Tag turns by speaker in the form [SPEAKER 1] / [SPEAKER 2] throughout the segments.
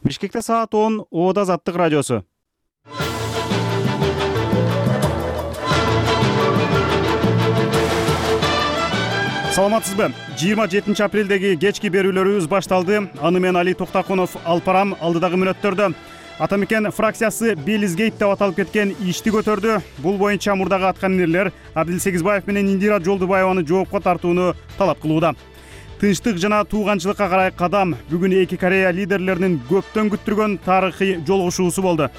[SPEAKER 1] Бишкекте саат 10 Оода Азаттык радиосу. Саламатсызбы? 27 апрелдеги кечки берүүлөрүбүз башталды. Аны менен Али Токтакунов алып барам. Алдыдагы мүнөттөрдө Атамекен фракциясы Белизгейт деп аталып кеткен ишти көтөрдү. Бул боюнча мурдагы аткаминерлер Абдил Сегизбаев менен Индира Жолдубаеваны жоопко тартууну талап кылууда. Тынчтык жана тууганчылыкка карай кадам бүгүн эки Корея лидерлеринин көптөн күттүргөн тарыхый жолугушуусу болду.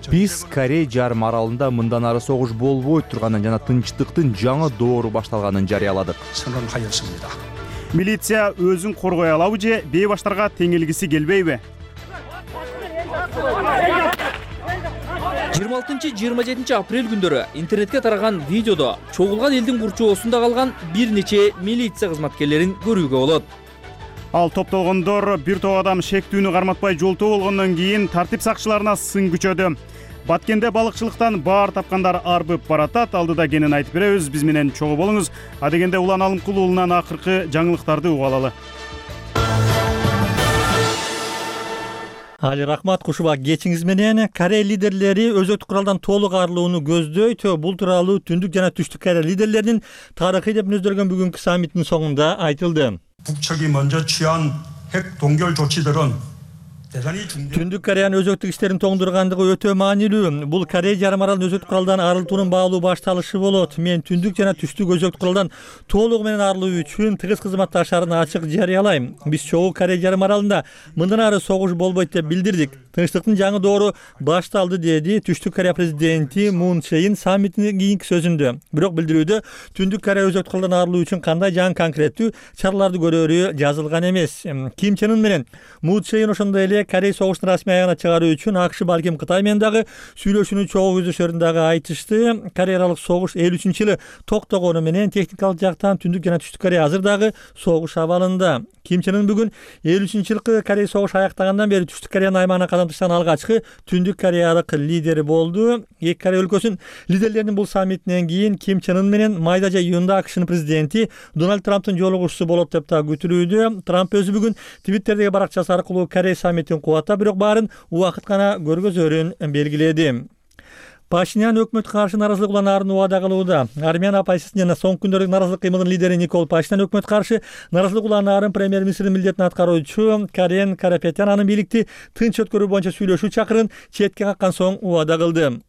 [SPEAKER 2] Биз Корей жарым аралында мындан ары согуш болбой турганын жана тынчтыктын жаңы доору башталганын жарыяладык.
[SPEAKER 1] Милиция өзүн коргой алабы же бейбаштарга теңелгиси келбейби?
[SPEAKER 3] 26-27 апрель күндөрү интернетке тараган видеодо чогулган элдин курчоосунда калган бир нече милиция кызматкерлерин көрүүгө болот.
[SPEAKER 1] Ал топтолгондор бир топ адам шектүүнү карматпай жолтоо болгондон кийин тартип сакчыларына сын күчөдү. Баткенде балыкчылыктан баар тапкандар арбып баратат. Алдыда кенен айтып беребиз. Биз менен чогуу болуңуз. Адегенде Улан Алымкул уулунан акыркы жаңылыктарды угуп алалы.
[SPEAKER 4] Али рахмат, кушуба кечиңиз менен. Корея лидерлери өзөктүк куралдан толук арылууну көздөйт. Бул тууралуу Түндүк жана Түштүк Корея лидерлеринин тарыхый деп мүнөздөлгөн бүгүнкү саммиттин соңунда айтылды.
[SPEAKER 5] 북측이 먼저 취한 핵 동결 조치들은
[SPEAKER 4] Түндүк Кореянын өзөктүк иштерин тоңдургандыгы өтө маанилүү. Бул Корея жарым аралын өзөктүк куралдан арылтуунун баалуу башталышы болот. Мен Түндүк жана Түштүк өзөктүк куралдан толугу менен арылуу үчүн тыгыз кызматташарын ачык жарыялайм. Биз чогуу Корея жарым аралында мындан ары согуш болбойт деп билдирдик. Тынчтыктын жаңы доору башталды, деди Түштүк Корея президенти Мун Чжэ-ин саммиттин кийинки сөзүндө. Бирок билдирүүдө Түндүк Корея өзөктүк куралдан арылуу үчүн кандай жаңы конкреттүү чараларды көрөрү жазылган эмес. Ким Чен Ын менен Мун Чжэ-ин ошондой эле Корея согуштун расмий аягына чыгаруу үчүн АКШ балким Кытай менен дагы сүйлөшүүнү чогуу көздөшөрүн дагы айтышты. Корея аралык согуш 53-жылы токтогону менен техникалык жактан Түндүк жана Түштүк Корея азыр дагы согуш абалында. Ким Чен Ын бүгүн 53-жылкы Корея согуш аяктагандан бери Түштүк Кореянын аймагына кадам ташлаган алгачкы Түндүк Кореялык лидери болду. Эки Корея өлкөсүнүн лидерлеринин бул саммитинен кийин Ким Чен Ын менен майда же июнда АКШнын президенти Дональд Трамптын жолугушуусу болот деп да күтүлүүдө. Трамп өзү бүгүн Твиттердеги баракчасы аркылуу Корея саммитин кубаттап, бирок баарын убакыт гана көргөзөрүн белгиледи. Пашинян өкмөткө каршы наразылык уланаарын убада кылууда. Армян оппозициясынын жана соңку күндөрдүк наразылык кыймылынын лидери Никол Пашинян өкмөткө каршы наразылык уланаарын премьер-министрдин милдетин аткаруучу Карен Карапетян анын бийликти тынч өткөрүү боюнча сүйлөшүү чакырын четке каккан соң убада кылды.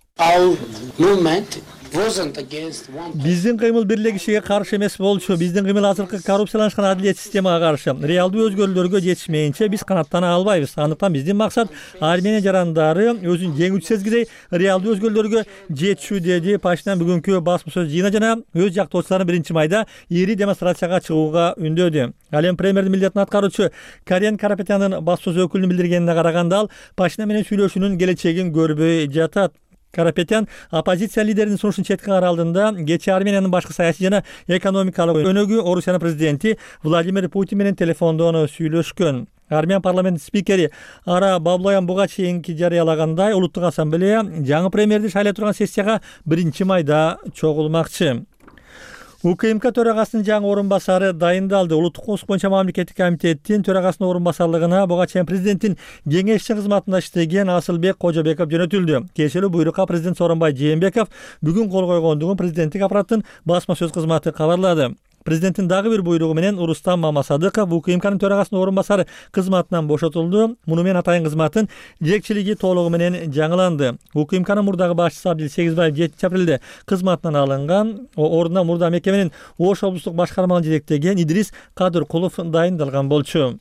[SPEAKER 4] Биздин кыймыл бир эле кишиге каршы эмес болчу. Биздин кыймыл азыркы коррупцияланышкан адилет системага каршы. Реалдуу өзгөрүүлөргө жетишмейинче биз канаттана албайбыз. Андыктан биздин максат Армения жарандары өзүн жеңүүчү сезгидей реалдуу өзгөрүүлөргө жетишүү, деди Пашинян бүгүнкү басма сөз жыйына жана өз жактоочуларын 1 майда ири демонстрацияга чыгууга үндөдү. Ал эми премьердин милдетин аткаруучу Карен Карапетянын басма сөз өкүлүнүн билдиргенине караганда, ал Пашинян менен сүйлөшүүнүн келечегин көрбөй жатат. Карапетян оппозиция лидеринин сунушун четке караа алдында кечээ Армениянын башкы саясий жана экономикалык өнөгү Орусиянын президенти Владимир Путин менен телефондон сүйлөшкөн. Армян парламентинин спикери Ара Баблоян буга чейинки жарыялагандай, улуттук ассамблея жаңы премьерди шайлай турган сессияга 1 майда чогулмакчы. УКМК төрагасынын жаңы орун басары дайындалды. Улуттук коопсуздук боюнча мамлекеттик комитеттин төрагасынын орун басарлыгына буга чейин президенттин кеңешчи кызматында иштеген Асылбек Кожобеков жөнөтүлдү. Кечээ буйрукка президент Сооронбай Жээнбеков бүгүн кол койгондугун президенттик аппараттын басма сөз кызматы кабарлады. Президенттин дагы бир буйругу менен Рустам Мамасадыков УКМКнын төрагасынын орун басары кызматынан бошотулду. Муну менен атайын кызматтын жетекчилиги толугу менен жаңыланды. УКМКнын мурдагы башчысы Абдил Сегизбаев 7 апрелде кызматынан алынган. Ордуна мурда мекеменин Ош облустук башкармалыгын жетектеген Идрис Кадыркулов дайындалган болчу.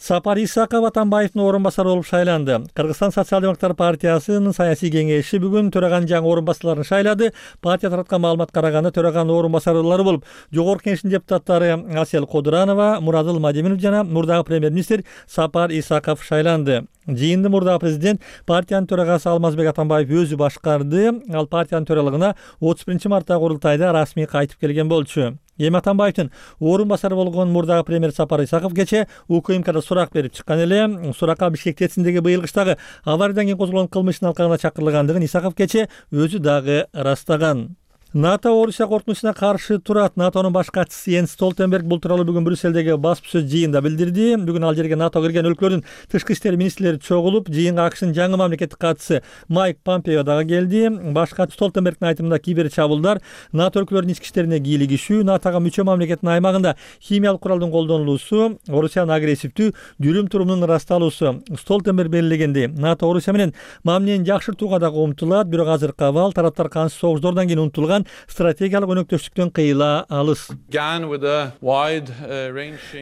[SPEAKER 4] Сапар Исаков Атамбаевдин орун басары болуп шайланды. Кыргызстан социал-демократтар партиясынын саясий кеңеши бүгүн төраганын жаңы орун басарларын шайлады. Партия тараткан маалымат караганда төраганын орун басарлары болуп Жогорку Кеңештин депутаттары Асел Кодуранова, Мурадыл Мадеминов жана мурдагы премьер-министр Сапар Исаков шайланды. Жыйынды мурдагы президент партиянын төрагасы Алмазбек Атамбаев өзү башкарды. Ал партиянын төралыгына 31 мартта курултайда расмий кайтып келген болчу. Эми Атамбаевдин орун басары болгон мурдагы премьер Сапар Исаков кечээ УКМКда сурак берип чыккан эле. Суракка Бишкек ТЭЦиндеги быйыл кыштагы авариядан кийин козголгон кылмыштын алкагына чакырылгандыгын Исаков кечээ өзү дагы ырастаган. НАТО Орусия коркунучуна каршы турат. НАТОнун баш катчысы Йенс Столтенберг бул тууралуу бүгүн Брюссельдеги басма-сөз жыйында билдирди. Бүгүн ал жерге НАТО кирген өлкөлөрдүн тышкы иштер министрлери чогулуп, жыйынга АКШнын жаңы мамлекеттик катчысы Майк Помпео дагы келди. Баш катчы Столтенбергдин айтымында кибер чабуулдар, НАТО өлкөлөрүнүн ички иштерине кийлигишүү, НАТОга мүчө мамлекеттин аймагында химиялык куралдын колдонулуусу, Орусиянын агрессивдүү жүрүм-турумунун ырасталуусу. Столтенберг белгилегендей, НАТО Орусия менен мамилени жакшыртууга дагы умтулат, бирок азыркы абал тараптар кансыз согуштардан кийин унутулган стратегиялык өнөктөштүктөн кыйыла алыс.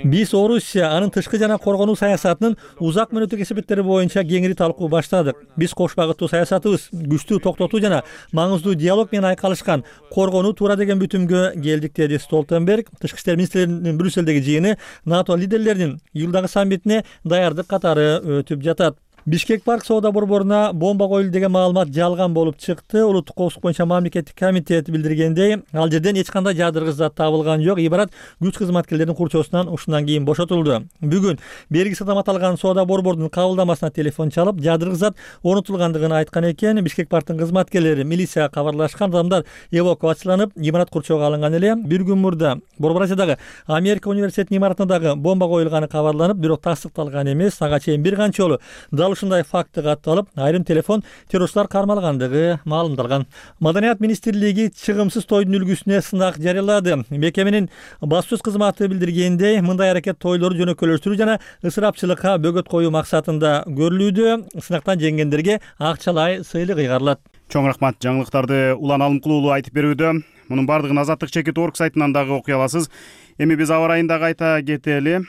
[SPEAKER 4] Биз Орусия анын тышкы жана коргонуу саясатынын узак мөөнөттүк эсептери боюнча кеңири талкуу баштадык. Биз кош багыттуу саясатыбыз күчтүү токтотуу жана маңыздуу диалог менен айкалышкан коргонуу туура деген бүтүмгө келдик, деди Столтенберг. Тышкы иштер министрлеринин Брюссельдеги жыйыны НАТО лидерлеринин июлдагы саммитине даярдык катары өтүп жатат. Бишкек парк соода борборуна бомба коюлду деген маалымат жалган болуп чыкты. Улуттук коопсуздук боюнча мамлекеттик комитет билдиргендей, ал жерден эч кандай жадыргыч зат табылган жок. Ибарат күч кызматкерлеринин курчоосунан ушундан кийин бошотулду. Бүгүн бергиси адам аталган соода борборунун кабылдамасына телефон чалып, жадыргыч зат орнотулгандыгын айткан экен. Бишкек парктын кызматкерлери милицияга кабарлашкан, адамдар эвакуацияланып, имарат курчоого алынган эле. Бир күн мурда Борбор Азиядагы Америка университетинин имаратына дагы бомба коюлганы кабарланып, бирок тастыкталган эмес. Ага чейин бир канча жолу ушундай факты катталып, айрым телефон террорчулар кармалгандыгы маалымдалган. Маданият министрлиги чыгымсыз тойдун үлгүсүнө сынак жарыялады. Мекеменин басма-сөз кызматы билдиргендей, мындай аракет тойлорду жөнөкөйлөштүрүү жана ысырапчылыкка бөгөт коюу максатында көрүлүүдө. Сынактан жеңгендерге акчалай сыйлык ыйгарылат.
[SPEAKER 1] Чоң рахмат жаңылыктарды Улан Алымкулуулу айтып берүүдө. Мунун бардыгын Азаттык.org сайтынан дагы окуй аласыз. Эми биз аба ырайын дагы айта кетели.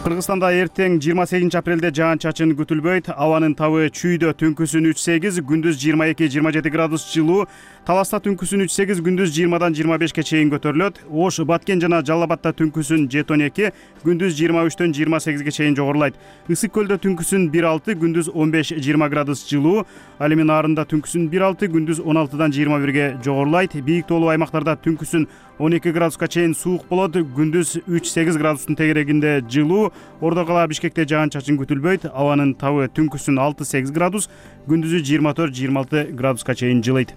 [SPEAKER 1] Кыргызстанда эртең 28 апрелде жаан-чачын күтүлбөйт. Абанын табы чүйдө түнкүсүн 3-8, күндүз 22-27 градус жылуу. Таласта түнкүсүн 3-8, күндүз 20-дан 25-ке чейин көтөрүлөт. Ош, Баткен жана Жалал Абадта түнкүсүн 7-12, күндүз 23-төн 28-ге чейин жогорулайт. Ысык көлдө түнкүсүн 1-6, күндүз 15-20 градус жылуу. Ал эми Нарында түнкүсүн 1-6, күндүз 16-дан 21-ге жогорулайт. Бийик тоолуу аймактарда түнкүсүн 12 градуска чейин суук болот, күндүз 3-8 градустун тегерегинде жылуу. Ордо кала Бишкекте жаан-чачын күтүлбөйт. Абанын табы түнкүсүн 6-8 градус, күндүзү 24-26 градуска чейин жылыйт.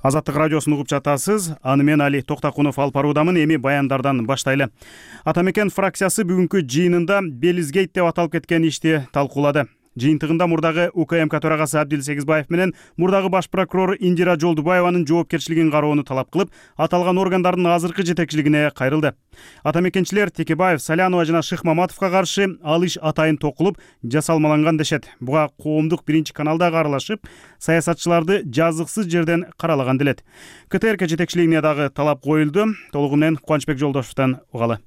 [SPEAKER 1] Азаттык радиосун угуп жатасыз. Аны мен Али Токтакунов алып баруудамын. Эми баяндардан баштайлы. Атамекен фракциясы бүгүнкү жыйынында Белизгейт деп аталып кеткен ишти талкуулады. Жыйынтыгында мурдагы УКМК төрагасы Абдил Сегизбаев менен мурдагы баш прокурор Индира Жолдубаеванын жоопкерчилигин кароону талап кылып, аталган органдардын азыркы жетекчилигине кайрылды. Атамекенчилер Текебаев, Салянова жана Шыхмаматовго каршы алыш атайын токулуп жасалмаланган дешет. Буга коомдук биринчи каналдагы аралашып, саясатчыларды жазыксыз жерден каралаган делет. КТРК жетекчилигине дагы талап коюлду. Толугу менен Кубанычбек Жолдошевдон угалы.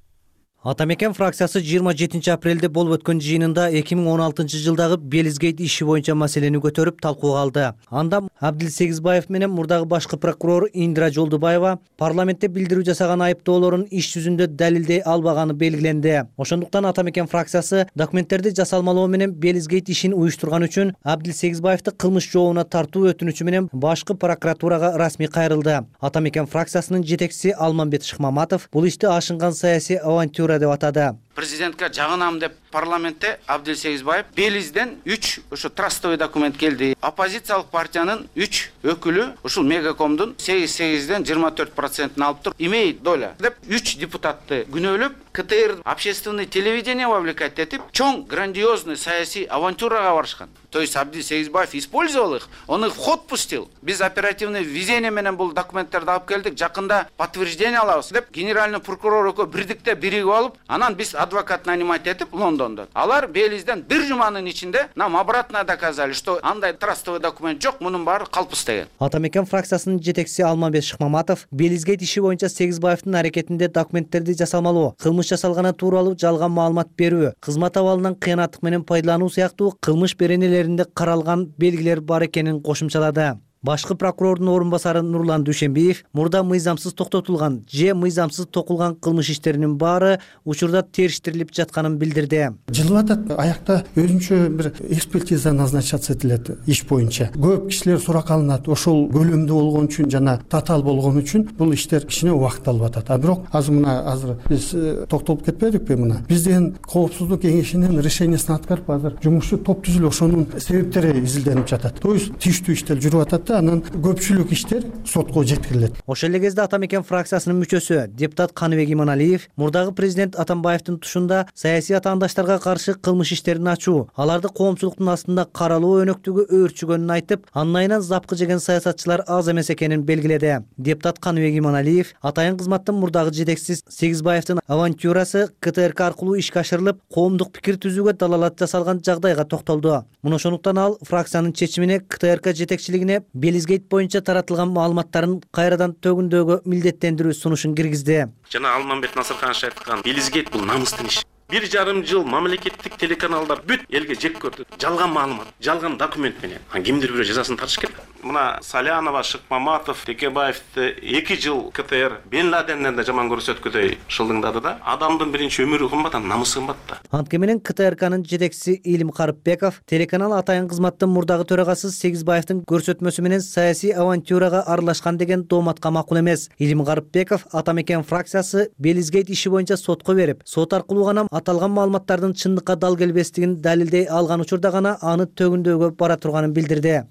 [SPEAKER 6] Атамекен фракциясы 27 апрелде болуп өткөн жыйынында 2016 жылдагы Белизгейт иши боюнча маселени көтөрүп талкууга алды. Анда Абдил Сегизбаев менен мурдагы башкы прокурор Индира Жолдубаева парламентте билдирүү жасаган айыптоолорун иш жүзүндө далилдей албаганы белгиленди. Ошондуктан Атамекен фракциясы документтерди жасалмалоо менен Белизгейт ишин уюштурган үчүн Абдил Сегизбаевди кылмыш жообуна тартуу өтүнүчү менен башкы прокуратурага расмий кайрылды. Атамекен фракциясынын жетекчиси Алмамбет Шыхмаматов бул ишти ашынган саясий авантюра деп атады.
[SPEAKER 7] Президентке жагынам деп парламентте Абдил Сегизбаев Белизден 3 ошо трастовый документ келди. Оппозициялык партиянын 3 өкүлү ушул Мегакомдун 8-8ден 24% алып туруп, имеет доля деп 3 депутатты күнөөлөп, КТР общественный телевидение вовлекать этип, чоң грандиозный саясий авантюрага барышкан. То есть Абдил Сегизбаев использовал их, он их в ход пустил. Биз оперативный везение менен бул документтерди алып келдик, жакында подтверждение алабыз деп генеральный прокурор экөө бирдикте биригип алып, анан биз адвокат нанимать этип Лондондон. Алар Белизден бир жуманын ичинде нам обратно доказали, что андай трастовый документ жок, мунун баары калпыс деген.
[SPEAKER 6] Атамекен фракциясынын жетекчиси Алмамбет Шыхмаматов Белизгейт иши боюнча Сегизбаевдин аракетинде документтерди жасалмалоо, кылмыш жасалганы тууралуу жалган маалымат берүү, кызмат абалынан кыянаттык менен пайдалануу сыяктуу кылмыш беренелеринде каралган белгилер бар экенин кошумчалады. Башкы прокурордун орун басары Нурлан Дүйшенбиев мурда мыйзамсыз токтотулган же мыйзамсыз токулган кылмыш иштеринин баары учурда териштирилип жатканын билдирди.
[SPEAKER 8] Жылып атат, аякта өзүнчө бир экспертиза назначаться этилет иш боюнча. Көп кишилер сурак алынат. Ошол көлөмдүү болгон үчүн жана татаал болгон үчүн бул иштер кичине убакыт алып атат. А бирок азыр биз токтолуп кетпедикпи мына? Бизден коопсуздук кеңешинин решениясын аткарып азыр жумушчу топ түзүлүп ошонун себептери изилденип жатат. То есть тийиштүү иштер жүрүп атат да, анан көпчүлүк иштер сотко жеткирилет.
[SPEAKER 6] Ошол эле кезде Ата мекен фракциясынын мүчөсү депутат Каныбек Иманалиев мурдагы президент Атамбаевдин тушунда саясий атаандаштарга каршы кылмыш иштерин ачуу, аларды коомчулуктун астында каралоо өнөктүгү өөрчүгөнүн айтып, андан айынан запкы жеген саясатчылар аз эмес экенин белгиледи. Депутат Каныбек Иманалиев атайын кызматтын мурдагы жетекчиси Сегизбаевдин авантюрасы КТРК аркылуу ишке ашырылып, коомдук пикир түзүүгө далалат жасалган жагдайга токтолду. Муну ошондуктан ал фракциянын чечимине КТРК жетекчилигине Белизгейт боюнча таратылган маалыматтарын кайрадан төгүндөөгө милдеттендирүү сунушун киргизди.
[SPEAKER 9] Жана Алмамбет Насырканович айткан, Белизгейт бул намыстын иши. 1,5 жыл мамлекеттик телеканалдар бүт элге жек көрдү. Жалган маалымат, жалган документ менен. Кимдир бирөө жазасын тартыш керек. Мына Салянова, Шыкмаматов, Текебаевди 2 жыл КТР Бен Ладенден да жаман көрсөткүдөй шылдыңдады да. Адамдын биринчи өмүрү кымбат, намысы кымбат да.
[SPEAKER 6] Анткени менен КТРКнын жетекчиси Илим Карыпбеков телеканал атайын кызматтын мурдагы төрагасы Сегизбаевдин көрсөтмөсү менен саясий авантюрага аралашкан деген дооматка макул эмес. Илим Карыпбеков Ата мекен фракциясы Белизгейт иши боюнча сотко берип, сот аркылуу гана аталган маалыматтардын чындыкка дал келбестигин далилдей алган учурда гана аны төгүндөөгө бара турганын билдирди.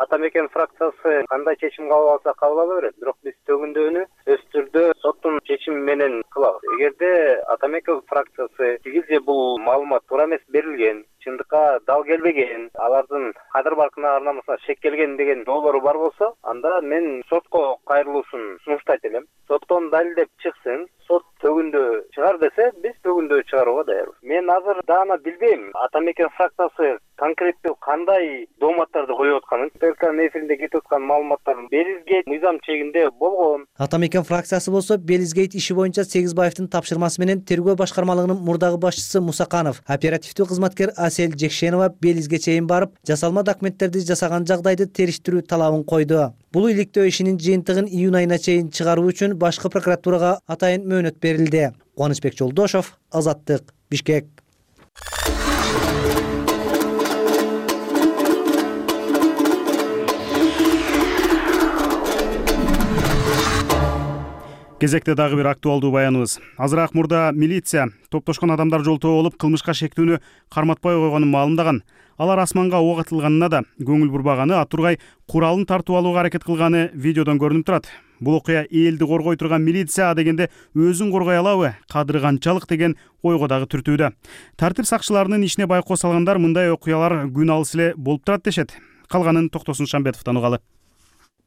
[SPEAKER 10] Ата мекен фракциясы кандай чечим кабыл алса кабыл ала берет, бирок биз төгүндөөнү өз түрдө соттун чечими менен кылабыз. Эгерде Ата мекен фракциясы тигиз бул маалымат туура эмес берилген, чындыкка дал келбеген, алардын кадыр баркына арнамасына шек келген деген доолору бар болсо, анда мен сотко кайрылуусун сунуштайт элем. Соттон далилдеп чыксын, сот төгүндөө чыгар десе, биз төгүндөө чыгарууга даярбыз. Мен азыр даана билбейм, Ата мекен фракциясы конкреттүү кандай дооматтарды коюп атканын, ТРКнын эфиринде кетип аткан маалыматтардын Белизгейт мыйзам чегинде болгон.
[SPEAKER 6] Ата мекен фракциясы болсо Белизгейт иши боюнча Сегизбаевдин тапшырмасы менен тергөө башкармалыгынын мурдагы башчысы Мусаканов, оперативдүү кызматкер Асель Жекшенова Белизге чейин барып, жасалма документтерди жасаган жагдайды териштирүү талабын койду. Бул иликтөө ишинин жыйынтыгын июнь айына чейин чыгаруу үчүн башкы прокуратурага атайын мөөнөт берилди. Кубанычбек Жолдошов, Азаттык, Бишкек.
[SPEAKER 1] Кезекте дагы бир актуалдуу баяныбыз. Азыраак мурда милиция топтошкон адамдар жолтоо болуп кылмышка шектүүнү карматпай койгонун маалымдаган. Алар асманга ок атылганына да көңүл бурбаганы, атургай куралын тартып алууга аракет кылганы видеодон көрүнүп турат. Бул окуя элди коргой турган милиция дегенде өзүн коргой алабы, кадыры канчалык деген ойго дагы түртүүдө. Тартип сакчыларынын ишине байкоо салгандар мындай окуялар күн алыс эле болуп турат дешет. Калганын Токтосун Шамбетовдон угалы.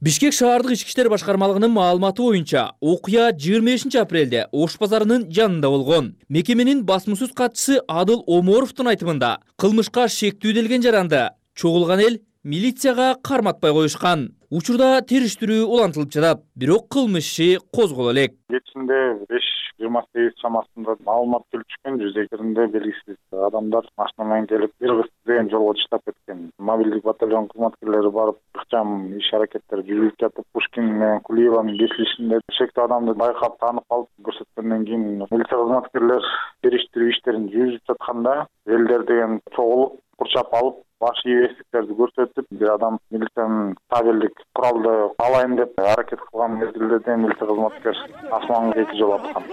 [SPEAKER 3] Бишкек шаардык ички иштер башкармалыгынын маалыматы боюнча, окуя 25 апрелде Ош базарынын жанында болгон. Мекеменин басмасөз катчысы Адыл Оморовдун айтымында, кылмышка шектүү делген жаранды чогулган эл милицияга карматпай коюшкан. Учурда териштирүү улантылып жатат, бирок кылмыш иши козголо элек.
[SPEAKER 11] Кечинде 5:28 чамасында маалымат келип түшкөн, жүзектеринде белгисиз адамдар машина менен келип Иргыз деген жолго чыктап кеткен. Мобилдик батальон кызматкерлери барып ыкчам иш аракеттер жүргүзүп жатып, Пушкин менен Кулиеванын кесилишинде шектүү адамды байкап таанып алып көрсөткөндөн кийин милиция кызматкерлер териштирүү иштерин жүргүзүп жатканда элдер деген чогулуп курчап алып, баш ийбестиктерди көрсөтүп, бир адам милициянын табелдик куралды алайын деп аракет кылган мезгилде милиция кызматкер асманга 2 жолу аткан.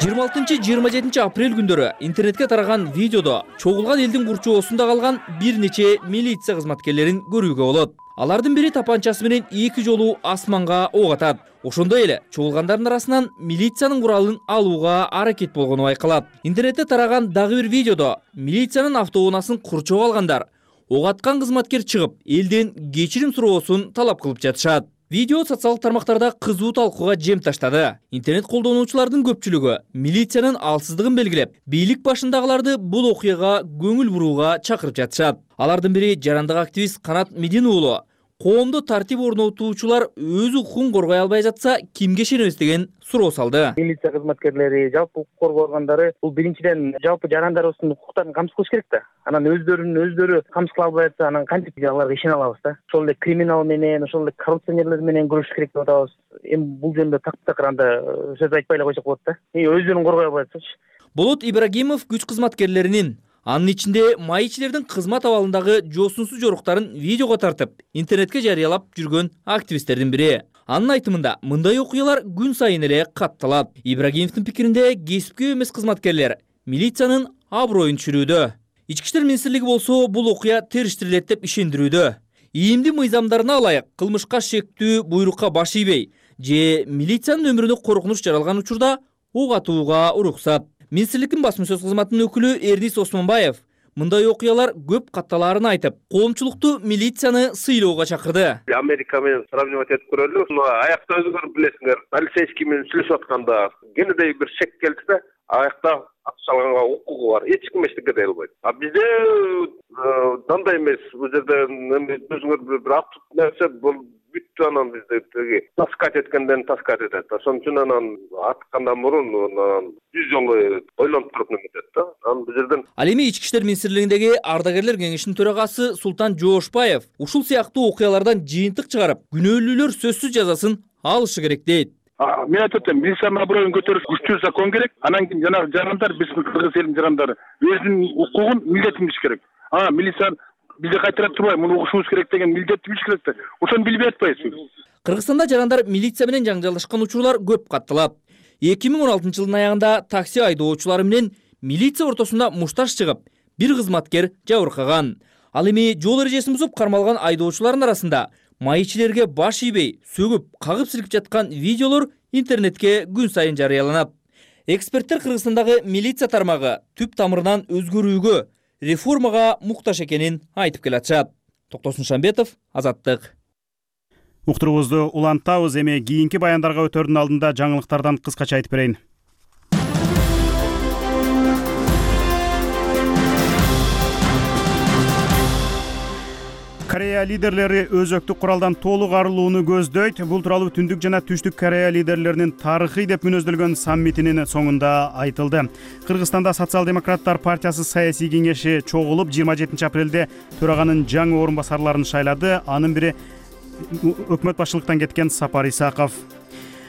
[SPEAKER 3] 26-27 апрель күндөрү интернетке тараган видеодо чогулган элдин курчоосунда калган бир нече милиция кызматкерлерин көрүүгө болот. Алардын бири тапанчасы менен 2 жолу асманга ок атат. Ошондой эле чогулгандардын арасынан милициянын куралын алууга аракет болгону байкалат. Интернетте тараган дагы бир видеодо милициянын автоунаасын курчоп алгандар ок аткан кызматкер чыгып, элден кечирим суроосун талап кылып жатышат. Видео социалдык тармактарда кызуу талкууга жем таштады. Интернет колдонуучулардын көпчүлүгү милициянын алсыздыгын белгилеп, бийлик башындагыларды бул окуяга көңүл бурууга чакырып жатышат. Алардын бири жарандык активист Канат Медин уулу коомдо тартип орнотуучулар өз укугун коргой албай жатса кимге ишенебиз деген суроо салды.
[SPEAKER 10] Милиция кызматкерлери, жалпы укук коргоо органдары бул биринчиден жалпы жарандарыбыздын укуктарын камсыз кылыш керек да. Анан өздөрү камсыз кыла албай жатса, анан кантип аларга ишене алабыз да? Ошол эле криминал менен, ошол эле коррупционерлер менен күрөшүш керек деп атабыз. Эми бул жөнүндө так анда сөз айтпай эле койсок болот да. Өздөрүн коргой албай жатсачы.
[SPEAKER 3] Болот Ибрагимов күч кызматкерлеринин, анын ичинде майчилердин кызмат абалындагы жоосунсуз жоруктарын видеого тартып, интернетке жарыялап жүргөн активисттердин бири. Анын айтымында мындай окуялар күн сайын эле катталат. Ибрагимовдун пикиринде кесипкөй эмес кызматкерлер милициянын аброюн түшүрүүдө. Ички иштер министрлиги болсо бул окуя териштирилет деп ишендирүүдө. ИИМдин мыйзамдарына ылайык кылмышка шектүү буйрукка баш ийбей же милициянын өмүрүнө коркунуч жаралган учурда ок атууга уруксат. Министрликтин басма сөз кызматынын өкүлү Эрнис Осмонбаев мындай окуялар көп катталаарын айтып, коомчулукту милицияны сыйлоого чакырды.
[SPEAKER 12] Америка менен сравнивать этип көрөлү. Аякта өзүңөр билесиңер, полицейский менен сүйлөшүп атканда кенедей бир шек келди да, аякта акчалганга укугу бар. Эч ким эчтеке дей албайт. Бизде дандай эмес. Бул жерде өзүңөр бир ат нерсе бул бүттү, анан бизде теги таскать эткенден таскать этет. Ошон үчүн анан аткандан мурун 100 жолу ойлонуп туруп неметет да. Анан бул жерден
[SPEAKER 3] Ал эми Ички иштер министрлигиндеги ардагерлер кеңешинин төрагасы Султан Жоошбаев ушул сыяктуу окуялардан жыйынтык чыгарып, күнөөлүүлөр сөзсүз жазасын алышы керек дейт.
[SPEAKER 13] Мен айтып атам, милициянын аброюн көтөрүш күчтүү закон керек. Анан кийин жанагы жарандар, биздин кыргыз элинин жарандары өзүнүн укугун милдетин билиш керек. Милиция бизде кайтарып турбай, муну угушубуз керек деген милдетти билиш керек да. Ошону билбей атпайбызбы?
[SPEAKER 3] Кыргызстанда жарандар милиция менен жаңжалдашкан учурлар көп катталат. 2016 жылдын аягында такси айдоочулары менен милиция ортосунда мушташ чыгып, бир кызматкер жабыркаган. Ал эми жол эрежесин бузуп кармалган айдоочулардын арасында майчилерге баш ийбей, сөгүп, кагып силкип жаткан видеолор интернетке күн сайын жарыяланат. Эксперттер Кыргызстандагы милиция тармагы түп тамырынан өзгөрүүгө, реформага муктаж экенин айтып келатышат. Токтосун Шамбетов, Азаттык.
[SPEAKER 1] Уктуруубузду улантабыз, эми кийинки баяндарга өтөрдүн алдында жаңылыктардан кыскача айтып берейин. Корея лидерлери өзөктүк куралдан толук арылууну көздөйт. Бул тууралуу Түндүк жана Түштүк Корея лидерлеринин тарыхый деп мүнөздөлгөн саммитинин соңунда айтылды. Кыргызстанда Социал-демократтар партиясы саясий кеңеши чогулуп 27 апрелде төраганын жаңы орун басарларын шайлады. Анын бири өкмөт башчылыктан кеткен Сапар Исаков.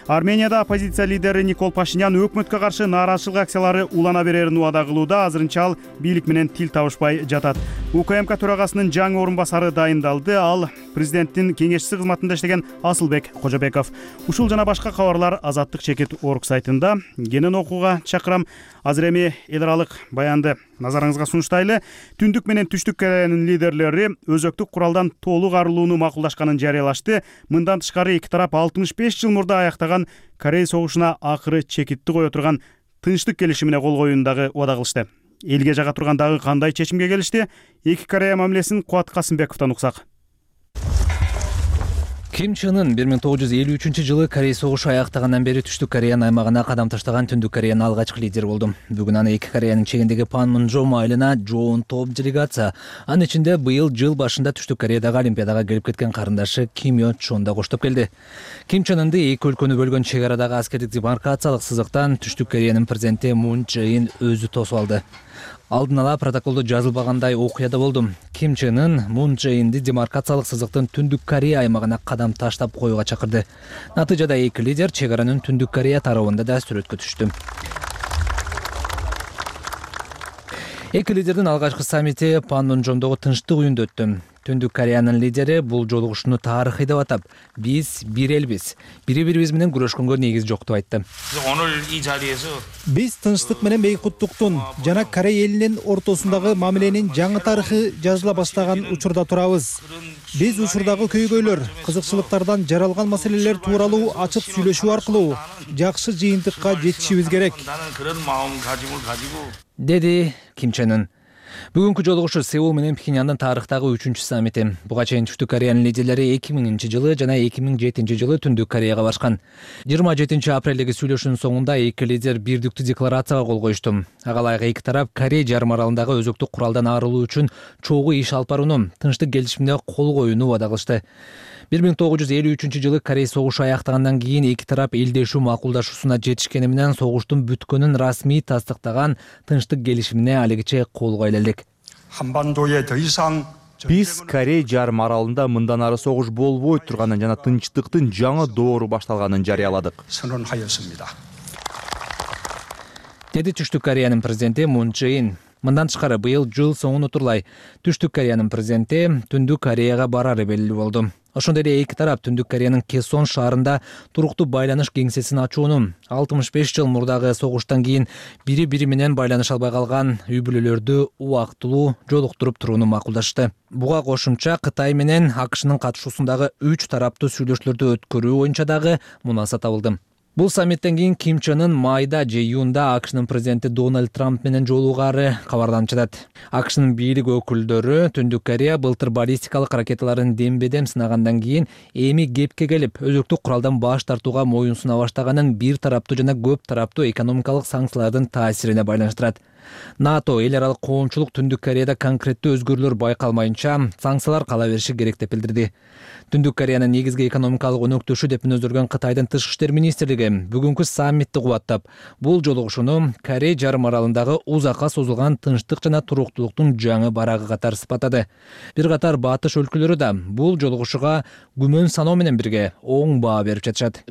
[SPEAKER 1] Арменияда оппозиция лидери Никол Пашинян өкмөткө каршы нааразычылык акциялары улана берерин убада кылууда. Азырынча ал бийлик менен тил табышпай жатат. УКМК төрагасынын жаңы орун басары дайындалды. Ал президенттин кеңешчиси кызматында иштеген Асылбек Кожобеков. Ушул жана башка кабарлар Азаттык чекит орг сайтында. Кенен окууга чакырам. Азыр эми эл аралык баянды назарыңызга сунуштайлы. Түндүк менен Түштүк Кореянын лидерлери өзөктүк куралдан толук арылууну макулдашканын жарыялашты. Мындан тышкары эки тарап 65 жыл мурда аяктаган Корей согушуна акыры чекитти кое турган тынчтык келишимине кол коюуну дагы убада кылышты. Элге жага турган дагы кандай чечимге келишти? Эки Корея мамилесин Куат Касымбековдон уксак.
[SPEAKER 14] Ким Чен Ын 1953-жылы Корей согушу аяктагандан бери Түштүк Кореянын аймагына кадам таштаган Түндүк Кореянын алгачкы лидери болду. Бүгүн аны эки Кореянын чегиндеги Панмунжом айылына жоон топ делегация. Анын ичинде быйыл жыл башында Түштүк Кореядагы Олимпиадага келип кеткен карындашы Ким Yo Чон да коштоп келди. Ким Чен Ынды эки өлкөнү бөлгөн чек арадагы аскердик демаркациялык сызыктан Түштүк Кореянын президенти Мун Чжэ Ин өзү тосуп алды. Алдын ала протоколдо жазылбагандай окуя да болду. Ким Чен Ын Мун Чжэ Инди демаркациялык сызыктын Түндүк Корея аймагына кадам таштап коюуга чакырды. Натыйжада эки лидер чек аранын Түндүк Корея тарабында да сүрөткө түштү. Эки лидердин алгачкы саммити Панмунжомдогу тынчтык үйүндө өттү. Түндүк Кореянын лидери бул жолугушууну тарыхый деп атап, биз бир элбиз, бири-бирибиз менен күрөшкөнгө негиз жок деп айтты.
[SPEAKER 15] Биз тынчтык менен бейкуттуктун жана Корея элинин ортосундагы мамиленин жаңы тарыхы жазыла баштаган учурда турабыз. Биз учурдагы көйгөйлөр, кызыкчылыктардан жаралган маселелер тууралуу ачык сүйлөшүү аркылуу жакшы жыйынтыкка жетишибиз керек,
[SPEAKER 14] деди Ким Чен Ын. Бүгүнкү жолугушуу Сеул менен Пхеньяндын тарыхтагы 3-чү саммити. Буга чейин Түштүк Кореянын лидерлери 2000-жылы жана 2007-жылы Түндүк Кореяга барышкан. 27 апрелдеги сүйлөшүүнүн соңунда эки лидер бирдиктүү декларацияга кол коюшту. Ага ылайык эки тарап Корей жарым аралындагы өзөктүк куралдан арылуу үчүн чогуу иш алып барууну, тынчтык келишимине кол коюуну убада кылышты. 1953-жылы Корей согушу аяктагандан кийин эки тарап элдешүү макулдашуусуна жетишкени менен согуштун бүткөнүн расмий тастыктаган тынчтык келишимине алигиче кол коюла элек.
[SPEAKER 2] Биз Корей жарым аралында мындан ары согуш болбойт турганын жана тынчтыктын жаңы доору башталганын жарыяладык.
[SPEAKER 14] Деди Түштүк Кореянын президенти Мун Чже Ин. Мындан тышкары быйыл жыл соңун утурлай Түштүк Кореянын президенти Түндүк Кореяга барары белгилүү болду. Ошондой эле эки тарап Түндүк Кореянын Кесон шаарында туруктуу байланыш кеңсесин ачууну, 65 жыл мурдагы согуштан кийин бири-бири менен байланыша албай калган үй-бүлөлөрдү убактылуу жолуктуруп турууну макулдашты. Буга кошумча Кытай менен АКШнын катышуусундагы 3 тараптуу сүйлөшүүлөрдү өткөрүү боюнча дагы мунаса табылды. Бул саммиттен кийин Ким Чен Ын майда же июнда АКШнын президенти Дональд Трамп менен жолугаары кабарданып жатат. АКШнын бийлик өкүлдөрү Түндүк Корея былтыр баллистикалык ракеталарын дембедем сынагандан кийин эми кепке келип, өзөктүк куралдан баш тартууга моюн суна баштаганын бир тараптуу жана көп тараптуу экономикалык санкциялардын таасирине байланыштырат. НАТО эл аралык коомчулук Түндүк Кореяда конкреттүү өзгөрүүлөр байкалмайынча санкциялар кала бериши керек деп билдирди. Түндүк Кореянын негизги экономикалык өнөктөшү деп мүнөздөргөн Кытайдын тышкы иштер министрлиги бүгүнкү саммитти кубаттап, бул жолугушууну Корей жарым аралындагы узакка созулган тынчтык жана туруктуулуктун жаңы барагы катары сыпаттады. Бир катар батыш өлкөлөрү да бул жолугушууга күмөн саноо менен бирге оң баа берип жатышат.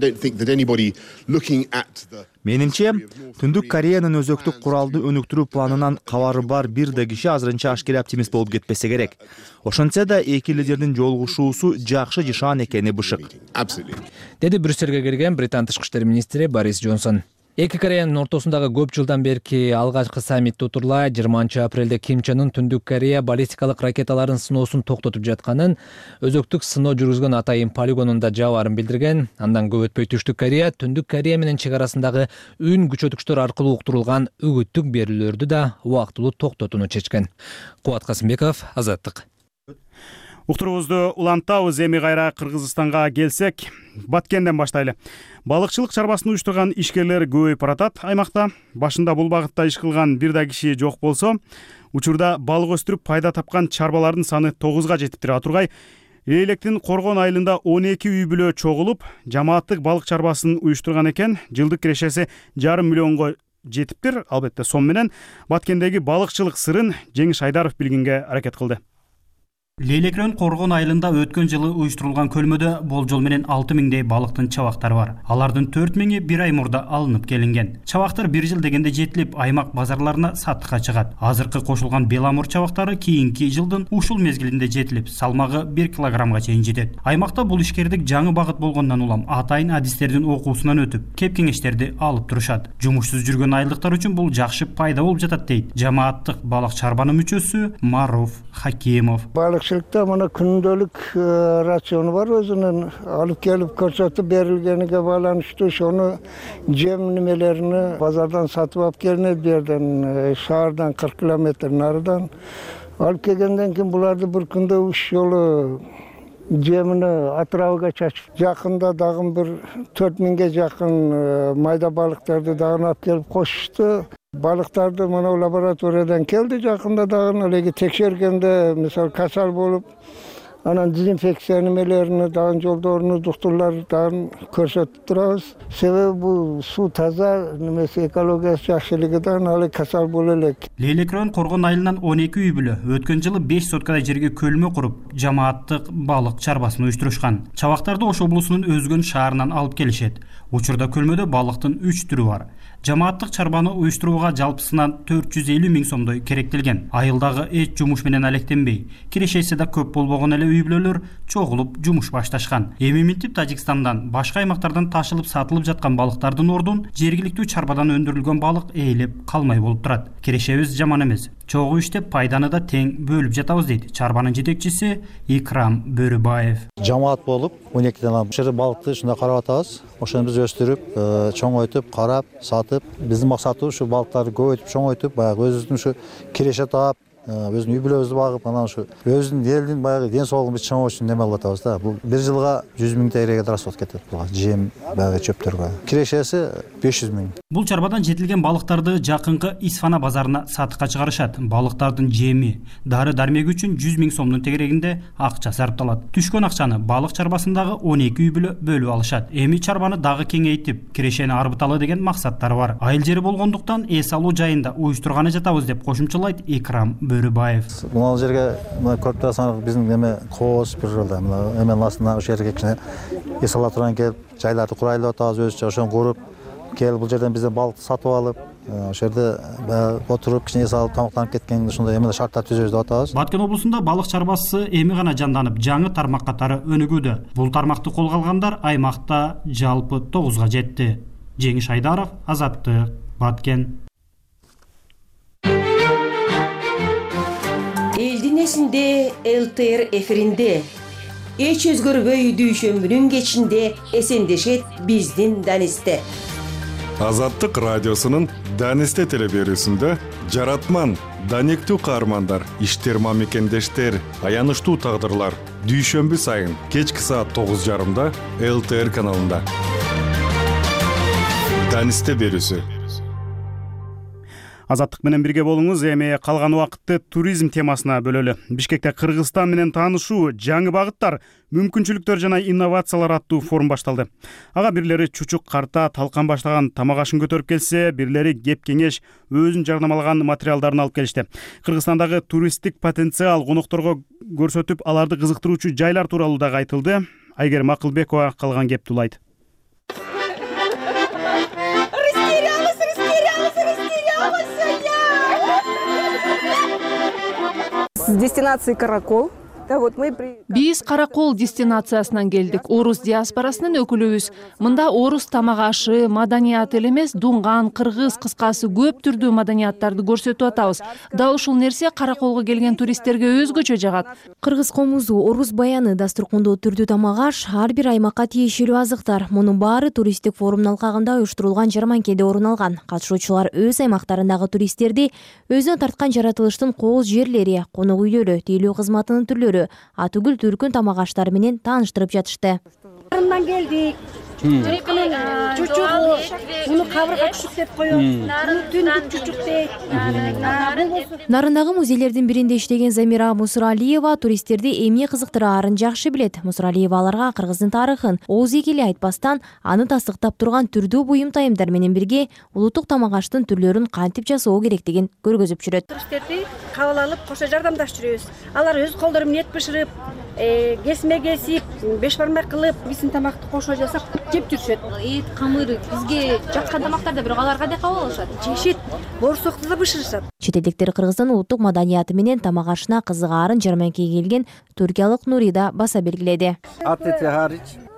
[SPEAKER 2] Менимче, Түндүк Кореянын өзөктүк куралды өнүктүрүү планынан кабары бар бир да киши азырынча ашкере оптимист болуп кетпесе керек. Ошентсе да эки лидердин жолугушуусу жакшы жашаан экени бышык.
[SPEAKER 14] Деди Брюссельге келген Британ тышкы иштер министри Борис Джонсон. Эки Кореянын ортосундагы көп жылдан берки алгачкы саммитти утурлай 20 апрелде Ким Чен Ын Түндүк Корея баллистикалык ракеталарын сыноосун токтотуп жатканын, өзөктүк сыноо жүргүзгөн Атайын полигонунда жабарын билдирген. Андан көп өтпөй Түштүк Корея Түндүк Корея менен чек арасындагы үн күчөтүкчтөр аркылуу уктурулган үгүттүк берүүлөрдү да убактылуу токтотууну чечкен. Кубат Касымбеков, Азаттык.
[SPEAKER 1] Уктуруубузду улантабыз. Эми кайра Кыргызстанга келсек, Баткенден баштайлы. Балыкчылык чарбасын уюштурган ишкерлер көбөйүп баратат аймакта. Башында бул багытта иш кылган бир да киши жок болсо, учурда балык өстүрүп пайда тапкан чарбалардын саны 9га жетиптир. Атургай Электин Коргон айылында 12 үй бүлө чогулуп, жамааттык балык чарбасын уюштурган экен. Жылдык кирешеси 5,5 миллионго жетиптир. Албетте сом менен Баткендеги балыкчылык сырын Жеңиш Айдаров билгенге аракет кылды.
[SPEAKER 16] Лейлекрен Коргон айылында өткөн жылы уюштурулган көлмөдө болжол менен 6000дей балыктын чабактары бар. Алардын 4000и бир ай мурда алынып келинген. Чабактар бир жыл дегенде жетилип, аймак базарларына сатыкка чыгат. Азыркы кошулган беламур чабактары кийинки жылдын ушул мезгилинде жетилип, салмагы 1 килограммга чейин жетет. Аймакта бул ишкердик жаңы багыт болгондон улам атайын адистердин окуусунан өтүп, кеп кеңештерди алып турушат. Жумушсуз жүргөн айылдыктар үчүн бул жакшы пайда болуп жатат дейт жамааттык балык чарбанын мүчөсү Маруф Хакимов.
[SPEAKER 17] Балыкчылыкта мына күндөлүк рациону бар, өзүнүн алып келип көрсөтүп берилгениге байланыштуу ошону жем немелеrini базардан сатып алып келинет, бу жерден шаардан 40 километр нарыдан алып келгенден кийин буларды бир күндө 3 жолу жемини атырабыга чачып, жакында дагы бир 4000ге жакын майда балыктарды дагы алып келип кошушту. Балыктарды мына лабораториядан келди, жакында дагы элеги текшергенде мисалы касал болуп, анан дезинфекция немелерини дагы жолдорун, доктурлар дагы көрсөтүп турабыз. Себеби бул суу таза, немеси экологиясы жакшылыгы дагы ал касал боло элек.
[SPEAKER 16] Лейлекрен Коргон айылынан 12 үй бүлө өткөн жылы 5 соткадай жерге көлмө куруп, жамааттык балык чарбасын уюштурушкан. Чабактарды Ош облусунун Өзгөн шаарынан алып келишет. Учурда көлмөдө балыктын 3 түрү бар. Жамааттык чарбаны уюштурууга жалпысынан 450 миң сомдой керектелген. Айылдагы эч жумуш менен алектенбей, кирешеси да көп болбогон эле үй бүлөлөр чогулуп жумуш башташкан. Эми минтип Тажикстандан, башка аймактардан ташылып сатылып жаткан балыктардын ордун жергиликтүү чарбадан өндүрүлгөн балык ээлеп калмай болуп турат. Кирешебиз жаман эмес. Чогуу иштеп пайданы да тең бөлүп жатабыз дейт чарбанын жетекчиси Икрам Бөрүбаев.
[SPEAKER 18] Жамаат болуп 12ден ушул балыкты ушундай карап атабыз. Ошону биз өстүрүп, чоңойтуп, карап, сатып, биздин максатыбыз ушу балыктарды көбөйтүп, чоңойтуп, баягы өзүбүздүн ушу киреше таап, өзүнүн үй бүлөбүздү багып, анан ушу өзүнүн элдин баягы ден соолугун биз чоңойтуу үчүн неме кылып атабыз да. Бул бир жылга 100 000 тегерегге расход кетет буга, жем, баягы чөптөргө. Кирешеси 500 000.
[SPEAKER 16] Бул чарбадан жетилген балыктарды жакынкы Исфана базарына сатыкка чыгарышат. Балыктардын жеми, дары-дармеги үчүн 100 000 сомдун тегерегинде акча сарпталат. Түшкөн акчаны балык чарбасындагы 12 үй бүлө бөлүп алышат. Эми чарбаны дагы кеңейтип, кирешени арбыталы деген максаттары бар. Айыл жери болгондуктан эс алуу жайында уюштурганы жатабыз деп кошумчалайт Икрам Бөрүбаев.
[SPEAKER 18] Мына жерге көрүп турасыңар, биздин эме коос бир жолда эменин астына ошол жерге кичине эс ала турган келип, жайларды курайлы деп атабыз, өзүчө ошону куруп, келип бул жерден бизден балыкты сатып алып, ошол жерде отуруп кичине эс алып тамактанып кеткен ушундай эме шарттар түзөбүз деп атабыз.
[SPEAKER 16] Баткен облусунда балык чарбасы эми гана жанданып, жаңы тармак катары өнүгүүдө. Бул тармакты колго алгандар аймакта жалпы 9га жетти. Жеңиш Айдаров, Азаттык, Баткен.
[SPEAKER 19] Элдин эсинде ЛТР эфиринде эч өзгөрбөй дүйшөмбүнүн кечинде эсендешет биздин Данисте.
[SPEAKER 20] Азаттык радиосунун Данисте телеберүүсүндө жаратман, даниктүү каармандар, иштер мамекендештер, аянычтуу тагдырлар дүйшөмбү сайын кечки саат 9:30 ЛТР каналында. Данисте берүүсү.
[SPEAKER 1] Азаттык менен бирге болуңуз. Эми калган убакытты туризм темасына бөлөлү. Бишкекте Кыргызстан менен таанышуу, жаңы багыттар, мүмкүнчүлүктөр жана инновациялар аттуу форум башталды. Ага бирлери чучук карта, талкан баштаган тамак ашын көтөрүп келсе, бирлери кеп кеңеш, өзүн жарнамалаган материалдарын алып келишти. Кыргызстандагы туристтик потенциал конокторго көрсөтүп, аларды кызыктыруучу жайлар тууралуу дагы айтылды. Айгерим Акылбекова калган кепти улайт.
[SPEAKER 21] С дестинации Каракол. Биз Каракол дестинациясынан келдик. Орус диаспорасынын өкүлүбүз. Мында орус тамак ашы, маданияты эле эмес, дунган, кыргыз, кыскасы көп түрдүү маданияттарды көрсөтүп атабыз. Дал ушул нерсе Караколго келген туристтерге өзгөчө жагат.
[SPEAKER 22] Кыргыз комузу, орус баяны, дастуркондоо түрдүү тамак аш, ар бир аймакка тиешелүү азыктар. Мунун баары туристтик форумдун алкагында уюштурулган жарманкеде орун алган. Катышуучулар өз аймактарындагы туристтерди өзүнө тарткан жаратылыштын кооз жерлери, конок үйлөрү, тейлөө кызматынын түрлөрү, атүгүл түркүн тамак аштары менен тааныштырып жатышты.
[SPEAKER 23] Нарындан келдик. Жылкынын чучугу, муну кабырга чучук деп коет. Түндүк чучук дейт.
[SPEAKER 22] Нарындагы музейлердин биринде иштеген Замира Мусуралиева туристтерди эмне кызыктыраарын жакшы билет. Мусуралиева аларга Кыргыздын тарыхын ооз эки эле айтпастан, аны тастыктап турган түрдүү буюм тайымдар менен бирге улуттук тамак аштын түрлөрүн кантип жасоо керектигин көргөзүп жүрөт.
[SPEAKER 23] Туристтерди кабыл алып, кошо жардамдашып жүрөбүз. Алар өз колдору менен эт бышырып, кесме кесип, беш бармак кылып, биздин тамакты кошо жасап жеп жүрүшөт.
[SPEAKER 22] Эт, камыр бизге жаткан тамактарда, бирок алар кандай кабыл алышат?
[SPEAKER 23] Жешет, боорсокту да бышырышат.
[SPEAKER 22] Чет элдиктер Кыргыздын улуттук маданияты менен тамак ашына кызыгаарын жарманкеге келген түркиялык Нурида баса белгиледи.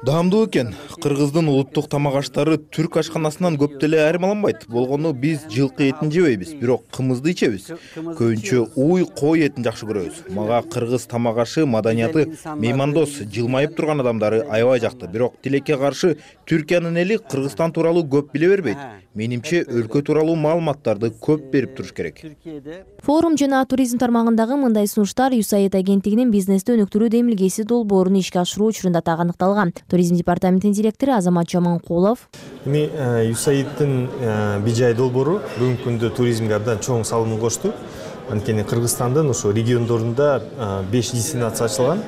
[SPEAKER 2] Даамдуу экен. Кыргыздын улуттук тамак аштары түрк ашканасынан көп деле айырмаланбайт. Болгону биз жылкы этин жебейбиз, бирок кымызды ичебиз. Көбүнчө уй, кой этин жакшы көрөбүз. Мага кыргыз тамак ашы маданияты меймандос, жылмайып турган адамдары аябай жакты. Бирок тилекке каршы Түркиянын эли Кыргызстан тууралуу көп биле бербейт. Менимче өлкө тууралуу маалыматтарды көп берип туруш керек.
[SPEAKER 22] Форум жана туризм тармагындагы мындай сунуштар USAID агенттигинин бизнести өнүктүрүү демилгеси долбоорун ишке ашыруу учурунда тагыныкталган. Туризм департаментинин директору Азамат Жаманкулов.
[SPEAKER 24] Эми USAIDтин бижай долбоору бүгүнкү күндө туризмге абдан чоң салымын кошту. Анткени Кыргызстандын ошо региондорунда 5 дестинация ачылган.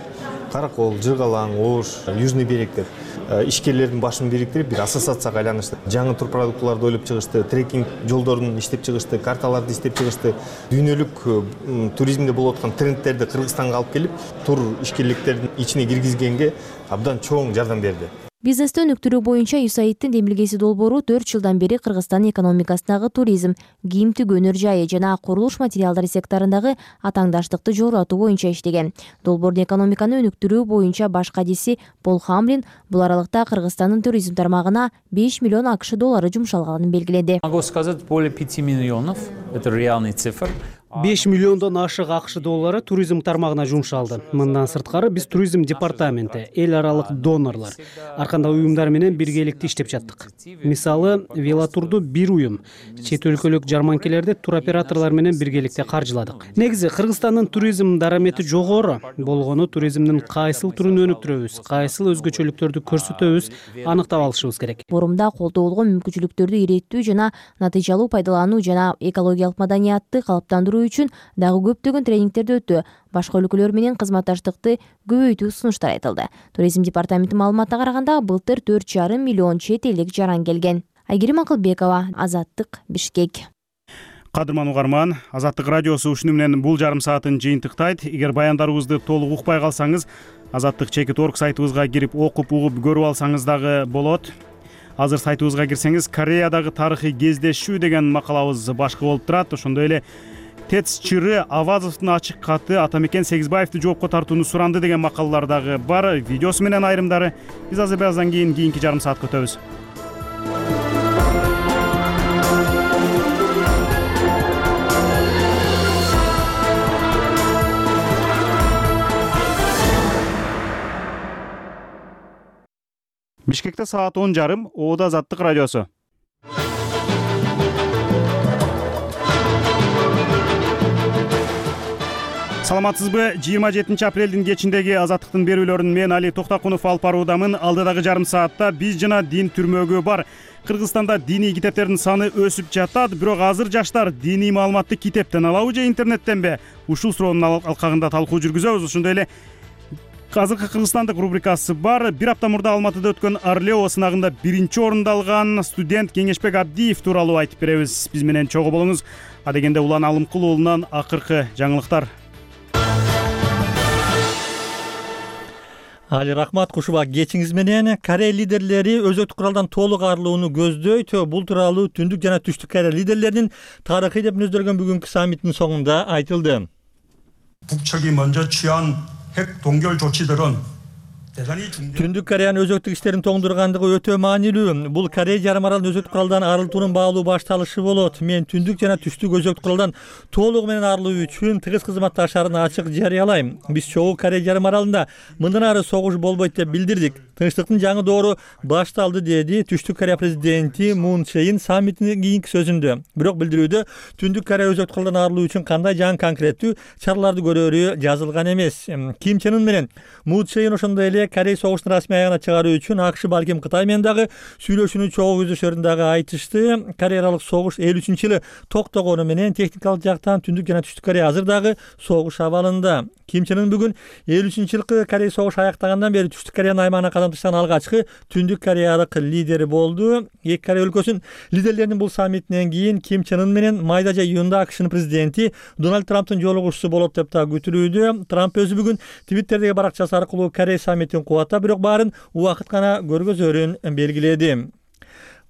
[SPEAKER 24] Каракол, Жыргалаң, Ош, Южный берег деп ишкерлердин башын бириктирип бир ассоциацияга айланышты. Жаңы тур продуктууларды ойлоп чыгышты, трекинг жолдорун иштеп чыгышты, карталарды иштеп чыгышты. Дүйнөлүк туризмде болуп аткан трендтерди Кыргызстанга алып келип, тур ишкерликтердин ичине киргизгенге абдан чоң жардам берди.
[SPEAKER 22] Бизнести өнүктүрүү боюнча USAIDтин демилгеси долбоору 4 жылдан бери Кыргызстан экономикасындагы туризм, кийим тигүү өнөр жайы жана курулуш материалдары секторундагы атаңдаштыкты жогорулатуу боюнча иштеген. Долбоордун экономиканы өнүктүрүү боюнча баш кадиси Пол Хамлин бул аралыкта Кыргызстандын туризм тармагына 5 миллион AQSh доллары жумшалганын белгиледи.
[SPEAKER 25] Могу сказать, более 5 миллионов. Это реальный цифр.
[SPEAKER 4] 5 миллиондон ашык АКШ доллары туризм тармагына жумшалды. Мындан сырткары биз туризм департаменти, эл аралык донорлор, ар кандай уюмдар менен биргеликте иштеп жаттык. Мисалы, велотурду бир уюм, чет өлкөлүк жарманкелерди туроператорлор менен биргеликте каржыладык. Негизи Кыргызстандын туризм дарамети жогору болгону туризмдин кайсыл түрүн өнүктүрөбүз, кайсыл өзгөчөлүктөрдү көрсөтөбүз аныктап алышыбыз керек.
[SPEAKER 22] Форумда колдоолгон мүмкүнчүлүктөрдү иреттүү жана натыйжалуу пайдалануу жана экологиялык маданиятты калыптандыруу үчүн дагы көптөгөн тренингтерди өтүү, башка өлкөлөр менен кызматташтыкты көбөйтүү сунуштар айтылды. Туризм департаменти маалыматына караганда, былтыр 4,5 миллион чет элдик жаран келген. Айгерим Акылбекова, Азаттык, Бишкек.
[SPEAKER 1] Кадырман угарман, Азаттык радиосу ушуну менен бул жарым саатын жыйынтыктайт. Эгер баяндарыбызды толук укпай калсаңыз, Азаттык.org сайтыбызга кирип окуп угуп көрүп алсаңыз дагы болот. Азыр сайтыбызга кирсеңиз, Кореядагы тарыхый кездешүү деген макалабыз башкы болуп турат. Ошондой эле ТЭЦ чыры Авазовдун ачык каты Атамекен Сегизбаевди жоопко тартууну суранды деген макалалар дагы бар. Видеосу менен айрымдары биз азыр бираздан кийинки жарым саатка өтөбүз. Бишкекте саат 10:30, Оода Азаттык радиосу. Саламатсызбы? 27 апрелдин кечиндеги Азаттыктын берүүлөрүн мен Али Токтакунов алып баруудамын. Алдыдагы жарым саатта биз жана дин түрмөгү бар. Кыргызстанда диний китептердин саны өсүп жатат, бирок азыр жаштар диний маалыматты китептен алабы же интернеттенби? Ушул суроонун алкагында талкуу жүргүзөбүз. Ошондой эле азыркы Кыргызстандык рубрикасы бар. Бир апта мурда Алматыда өткөн Орлео сынагында 1-орунду алган студент Кеңешбек Абдиев тууралуу айтып беребиз. Биз менен чогуу болуңуз. Адегенде Улан Алымкул уулунан акыркы жаңылыктар.
[SPEAKER 5] Али рахмат, кушубак кечиңиз менен. Корея лидерлери өзөктүк куралдан толук арылууну көздөйт. Бул тууралуу Түндүк жана Түштүк Корея лидерлеринин тарыхый деп мүнөздөлгөн бүгүнкү саммиттин соңунда айтылды.
[SPEAKER 7] 북측이 먼저 취한 핵 동결 조치들은
[SPEAKER 5] Түндүк Кореянын өзөктүк иштерин тоңдургандыгы өтө маанилүү. Бул Корея жарым аралын өзөктүк куралдан арылтуунун баалуу башталышы болот. Мен Түндүк жана Түштүк өзөктүк куралдан толугу менен арылуу үчүн тыгыз кызматташарын ачык жарыялайм. Биз чогуу Корея жарым аралында мындан ары согуш болбойт деп билдирдик. Тынчтыктын жаңы доору башталды, деди Түштүк Корея президенти Мун Чжэ-ин саммиттин кийинки сөзүндө. Бирок билдирүүдө Түндүк Корея өзөктүк куралдан арылуу үчүн кандай жаңы конкреттүү чараларды көрөрү жазылган эмес. Ким Чен Ын менен Мун Чжэ-ин ошондой эле Корея согуштун расмий аягына чыгаруу үчүн АКШ балким Кытай менен дагы сүйлөшүүнү чогуу көздөшөрүн дагы айтышты. Корея аралык согуш 53-жылы токтогону менен техникалык жактан Түндүк жана Түштүк Корея азыр дагы согуш абалында. Ким Чен Ын бүгүн 53-жылкы Корея согуш аяктагандан бери Түштүк Кореянын аймагына кадам таштаган алгачкы Түндүк Кореялык лидери болду. Эки Корея өлкөсүнүн лидерлеринин бул саммитинен кийин Ким Чен Ын менен майда июнда АКШнын президенти Дональд Трамптын жолугушуусу болот деп да күтүлүүдө. Трамп өзү бүгүн Твиттердеги баракчасы аркылуу Корея саммитин кубаттап, бирок баарын убакыт гана көргөзөрүн белгиледи.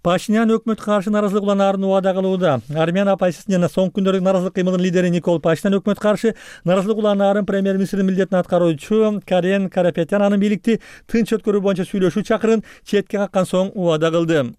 [SPEAKER 5] Пашинян өкмөткө каршы наразылык уланаарын убада кылууда. Армян оппозициясынын жана соңку күндөрдү наразылык кыймылдын лидери Никол Пашинян өкмөткө каршы наразылык уланаарын премьер-министрдин милдетин аткаруучу Карен Карапетян анын бийликти тынч өткөрүү боюнча сүйлөшүү чакырын четке каккан соң убада кылды.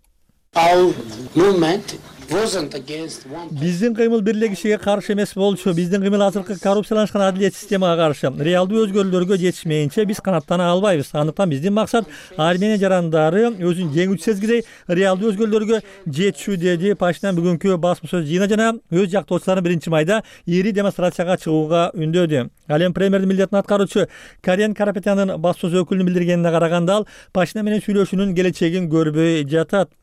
[SPEAKER 5] Биздин кыймыл бир эле кишиге каршы эмес болчу. Биздин кыймыл азыркы коррупцияланышкан адилет системага каршы. Реалдуу өзгөрүүлөргө жетишмейинче биз канаттана албайбыз. Андыктан биздин максат Армения жарандары өзүн жеңүүчү сезгидей реалдуу өзгөрүүлөргө жетишүү, деди Пашинян бүгүнкү басма сөз жыйына жана өз жактоочуларын 1-майда ири демонстрацияга чыгууга үндөдү. Ал эми премьердин милдетин аткаруучу Карен Карапетяндын басма сөз өкүлүнүн билдиргенине караганда, ал Пашинян менен сүйлөшүүнүн келечегин көрбөй жатат.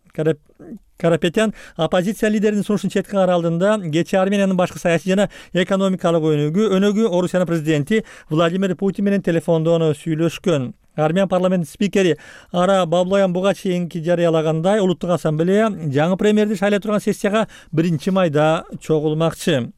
[SPEAKER 5] Карапетян оппозиция лидеринин сунушун четке кара алдында кечээ Армениянын башкы саясий жана экономикалык өнөгү Орусиянын президенти Владимир Путин менен телефондон сүйлөшкөн. Армян парламентинин спикери Ара Баблоян буга чейинки жарыялагандай, улуттук ассамблея жаңы премьерди шайлай турган сессияга 1-майда чогулмакчы.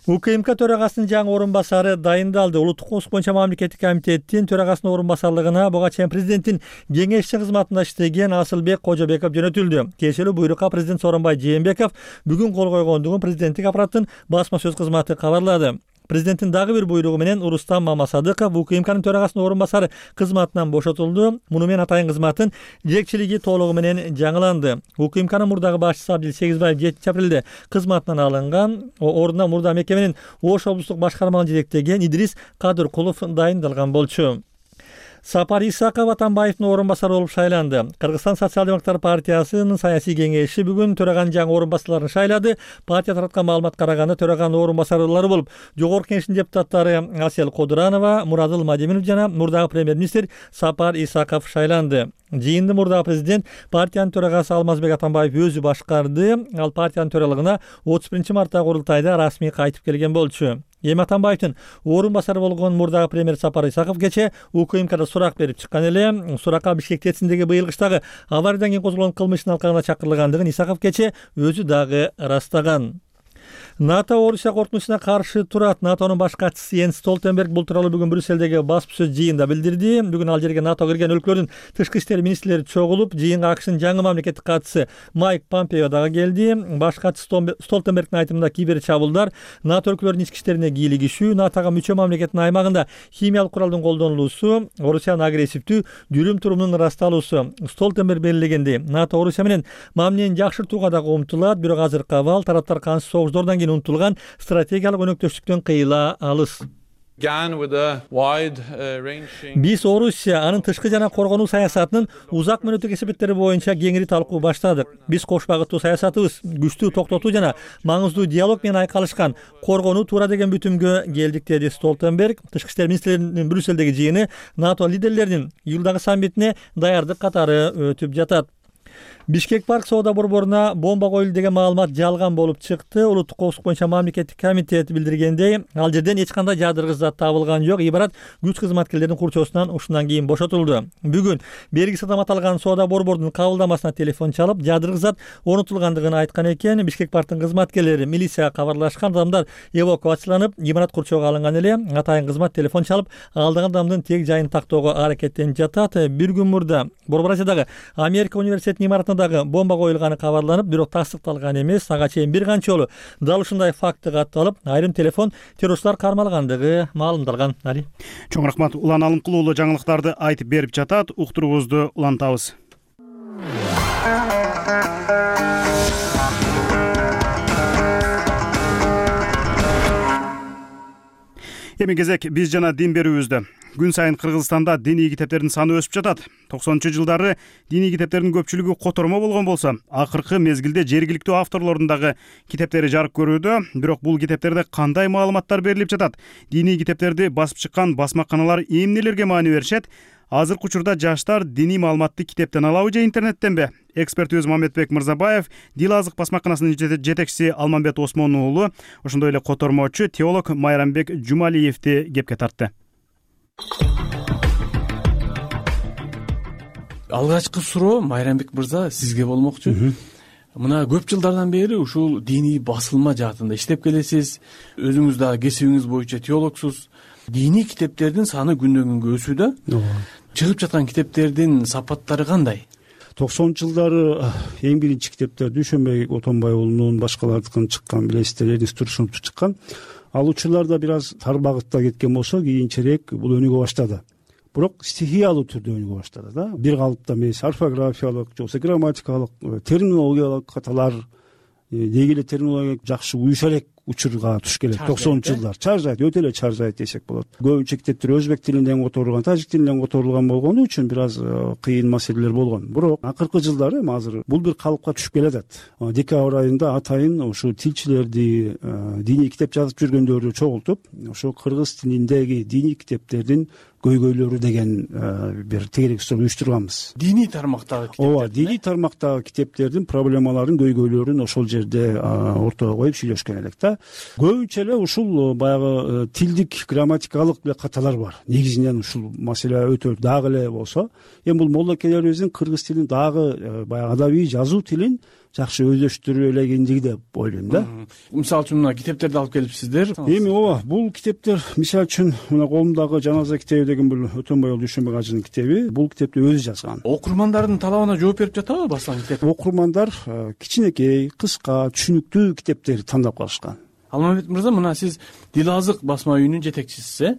[SPEAKER 5] УКМК төрагасынын жаңы орун басары дайындалды. Улуттук коопсуздук боюнча мамлекеттик комитеттин төрагасынын орун басарлыгына буга чейин президенттин кеңешчи кызматында иштеген Асылбек Кожобеков жөнөтүлдү. Кечээ буйрукка президент Сооронбай Жээнбеков бүгүн кол койгондугун президенттик аппараттын басма сөз кызматы кабарлады. Президенттин дагы бир буйругу менен Урустам Мамасадыков УКМКнын төрагасынын орун басары кызматынан бошотулду. Муну менен атайын кызматтын жетекчилиги толугу менен жаңыланды. УКМКнын мурдагы башчысы Абдил Сегизбаев 7 апрелде кызматынан алынган. Ордуна мурда мекеменин Ош облустук башкарманы жетектеген Идрис Кадыркулов дайындалган болчу. Сапар Исаков Атамбаевдин орун басары болуп шайланды. Кыргызстан социал-демократтар партиясынын саясий кеңеши бүгүн төраганын жаңы орун басарларын шайлады. Партия тараткан маалымат караганда төраганын орун басарлары болуп, жогорку кеңештин депутаттары Асел Кодуранова, Мурадыл Мадеминов жана мурдагы премьер-министр Сапар Исаков шайланды. Жыйынды мурдагы президент партиянын төрагасы Алмазбек Атамбаев өзү башкарды. Ал партиянын төралыгына 31 марттагы курултайда расмий кайтып келген болчу. Эми Атамбаевдин орун басары болгон мурдагы премьер Сапар Исаков кече УКМКда сурак берип чыккан эле. Суракка Бишкек ТЭЦиндеги быйыл кыштагы авариядан кийин козголгон кылмыштын алкагына чакырылгандыгын Исаков кече өзү дагы ырастаган. НАТО Орусия коркунучуна каршы турат. НАТОнун баш катчысы Йенс Столтенберг бул тууралуу бүгүн Брюссельдеги баспсөз жыйында билдирди. Бүгүн ал жерге НАТО кирген өлкөлөрдүн тышкы иштер министрлери чогулуп, жыйынга АКШнын жаңы мамлекеттик катчысы Майк Помпео дагы келди. Баш катчы Столтенбергдин айтымында кибер чабуулдар, НАТО өлкөлөрүнүн ички иштерине кийлигишүү, НАТОга мүчө мамлекеттин аймагында химиялык куралдын колдонулуусу, Орусиянын агрессивдүү жүрүм-турумунун ырасталуусу. Столтенберг белгилегендей, НАТО Орусия менен мамилени жакшыртууга дагы умтулат, бирок азыркы абал тараптар кансыз согуштардан кийин унутулган стратегиялык өнөктөштүктөн кыйыла алыс. Биз Орусия анын тышкы жана коргонуу саясатынын узак мөөнөттүк эсептери боюнча кеңири талкуу баштадык. Биз кош багыттуу саясатыбыз күчтүү токтотуу жана маңыздуу диалог менен айкалышкан коргонуу туура деген бүтүмгө келдик, деди Столтенберг. Тышкы иштер министрлеринин Брюссельдеги жыйыны НАТО лидерлеринин июлдагы саммитине даярдык катары өтүп жатат. Бишкек парк соода борборуна бомба коюлду деген маалымат жалган болуп чыкты. Улуттук коопсуздук боюнча мамлекеттик комитет билдиргендей, ал жерден эч кандай жадыргыч зат табылган жок. Ибарат күч кызматкерлеринин курчоосунан ушундан кийин бошотулду. Бүгүн бергиси адам аталган соода борборунун кабылдамасына телефон чалып, жадыргыч зат орнотулгандыгын айткан экен. Бишкек парктын кызматкерлери милицияга кабарлашкан, адамдар эвакуацияланып, имарат курчоого алынган эле. Атайын кызмат телефон чалып, алдаган адамдын тег жайын тактоого аракеттенип жатат. Бир күн мурда Борбор Азиядагы Америка университетинин имаратына дагы бомба коюлганы кабарланып, бирок тастыкталган эмес. Ага чейин бир канча жолу дал ушундай факты катталып, айрым телефон террорчулар кармалгандыгы маалымдалган.
[SPEAKER 1] Чоң рахмат. Улан Алымкул уулу жаңылыктарды айтып берип жатат. Уктуруубузду улантабыз. Эми кезек биз жана дин берүүбүздө. Күн сайын Кыргызстанда диний китептердин саны өсүп жатат. 90-жылдары диний китептердин көпчүлүгү котормо болгон болсо, акыркы мезгилде жергиликтүү авторлордун дагы китептери жарык көрүүдө. Бирок бул китептерде кандай маалыматтар берилип жатат? Диний китептерди басып чыккан басмаканалар эмнелерге маани беришет? Азыркы учурда жаштар диний маалыматты китептен алабы же интернеттенби? Экспертибиз Мамедбек Мырзабаев, Дил азык басмаканасынын жетекчиси Алмамбет Осмон уулу, ошондой эле котормочу теолог Майрамбек Жумалиевди кепке тартты.
[SPEAKER 6] Алгачкы суроо Майрамбек мырза сизге болмокчу. Мына көп жылдардан бери ушул диний басылма жаатында иштеп келесиз. Өзүңүз дагы кесибиңиз боюнча теологсуз. Диний китептердин саны күндөн күнгө өсүүдө. Чыгып жаткан китептердин сапаттары кандай?
[SPEAKER 8] 90-жылдары эң биринчи китептер Дүйшөнбек Отонбай уулунун, башкалардыкын чыккан, билесиздер, Эрнест Турсуновду чыккан. Ал учурларда бир аз тар багытта кеткен болсо, кийинчерээк бул өнүгө баштады. Бирок стихиялуу түрдө өнүгө баштады да. Бир калыпта эмес, орфографиялык, же болбосо грамматикалык, терминологиялык каталар, деги эле терминология жакшы уюша элек учурга туш келет. 90-жылдар чаржайт, өтө эле чаржайт десек болот. Көбүнчө китептер өзбек тилинен которулган, тажик тилинен которулган болгону үчүн бир аз кыйын маселелер болгон. Бирок акыркы жылдары азыр бул бир калыпка түшүп келатат. Декабрь айында атайын ушу тилчилерди, диний китеп жазып жүргөндөрдү чогултуп, ошо кыргыз тилиндеги диний китептердин көйгөйлөрү деген бир тегерек уюштурганбыз.
[SPEAKER 6] Диний тармактагы китептер.
[SPEAKER 8] Ооба, диний тармактагы китептердин проблемаларын, көйгөйлөрүн ошол жерде ортого коюп сүйлөшкөн элек да. Көбүнчө эле ушул баягы тилдик, грамматикалык эле каталар бар. Негизинен ушул маселе өтө дагы эле болсо, эми бул молдокелерибиздин кыргыз тилин дагы баягы адабий жазуу тилин жакшы өздөштүрө элегендиги деп ойлойм да.
[SPEAKER 6] Мисалы үчүн мына китептерди алып келипсиздер.
[SPEAKER 8] Эми ооба, бул китептер мисалы үчүн мына колумдагы Жаназа китеби деген бул Өтөнбай Дүйшөнбек ажынын китеби. Бул китепти өзү жазган.
[SPEAKER 6] Окурмандардын талабына жооп берип жатабы баскан китеп?
[SPEAKER 8] Окурмандар кичинекей, кыска, түшүнүктүү китептерди тандап калышкан.
[SPEAKER 6] Алмамбет мырза, мына сиз Дил азык басма үйүнүн жетекчисисиз,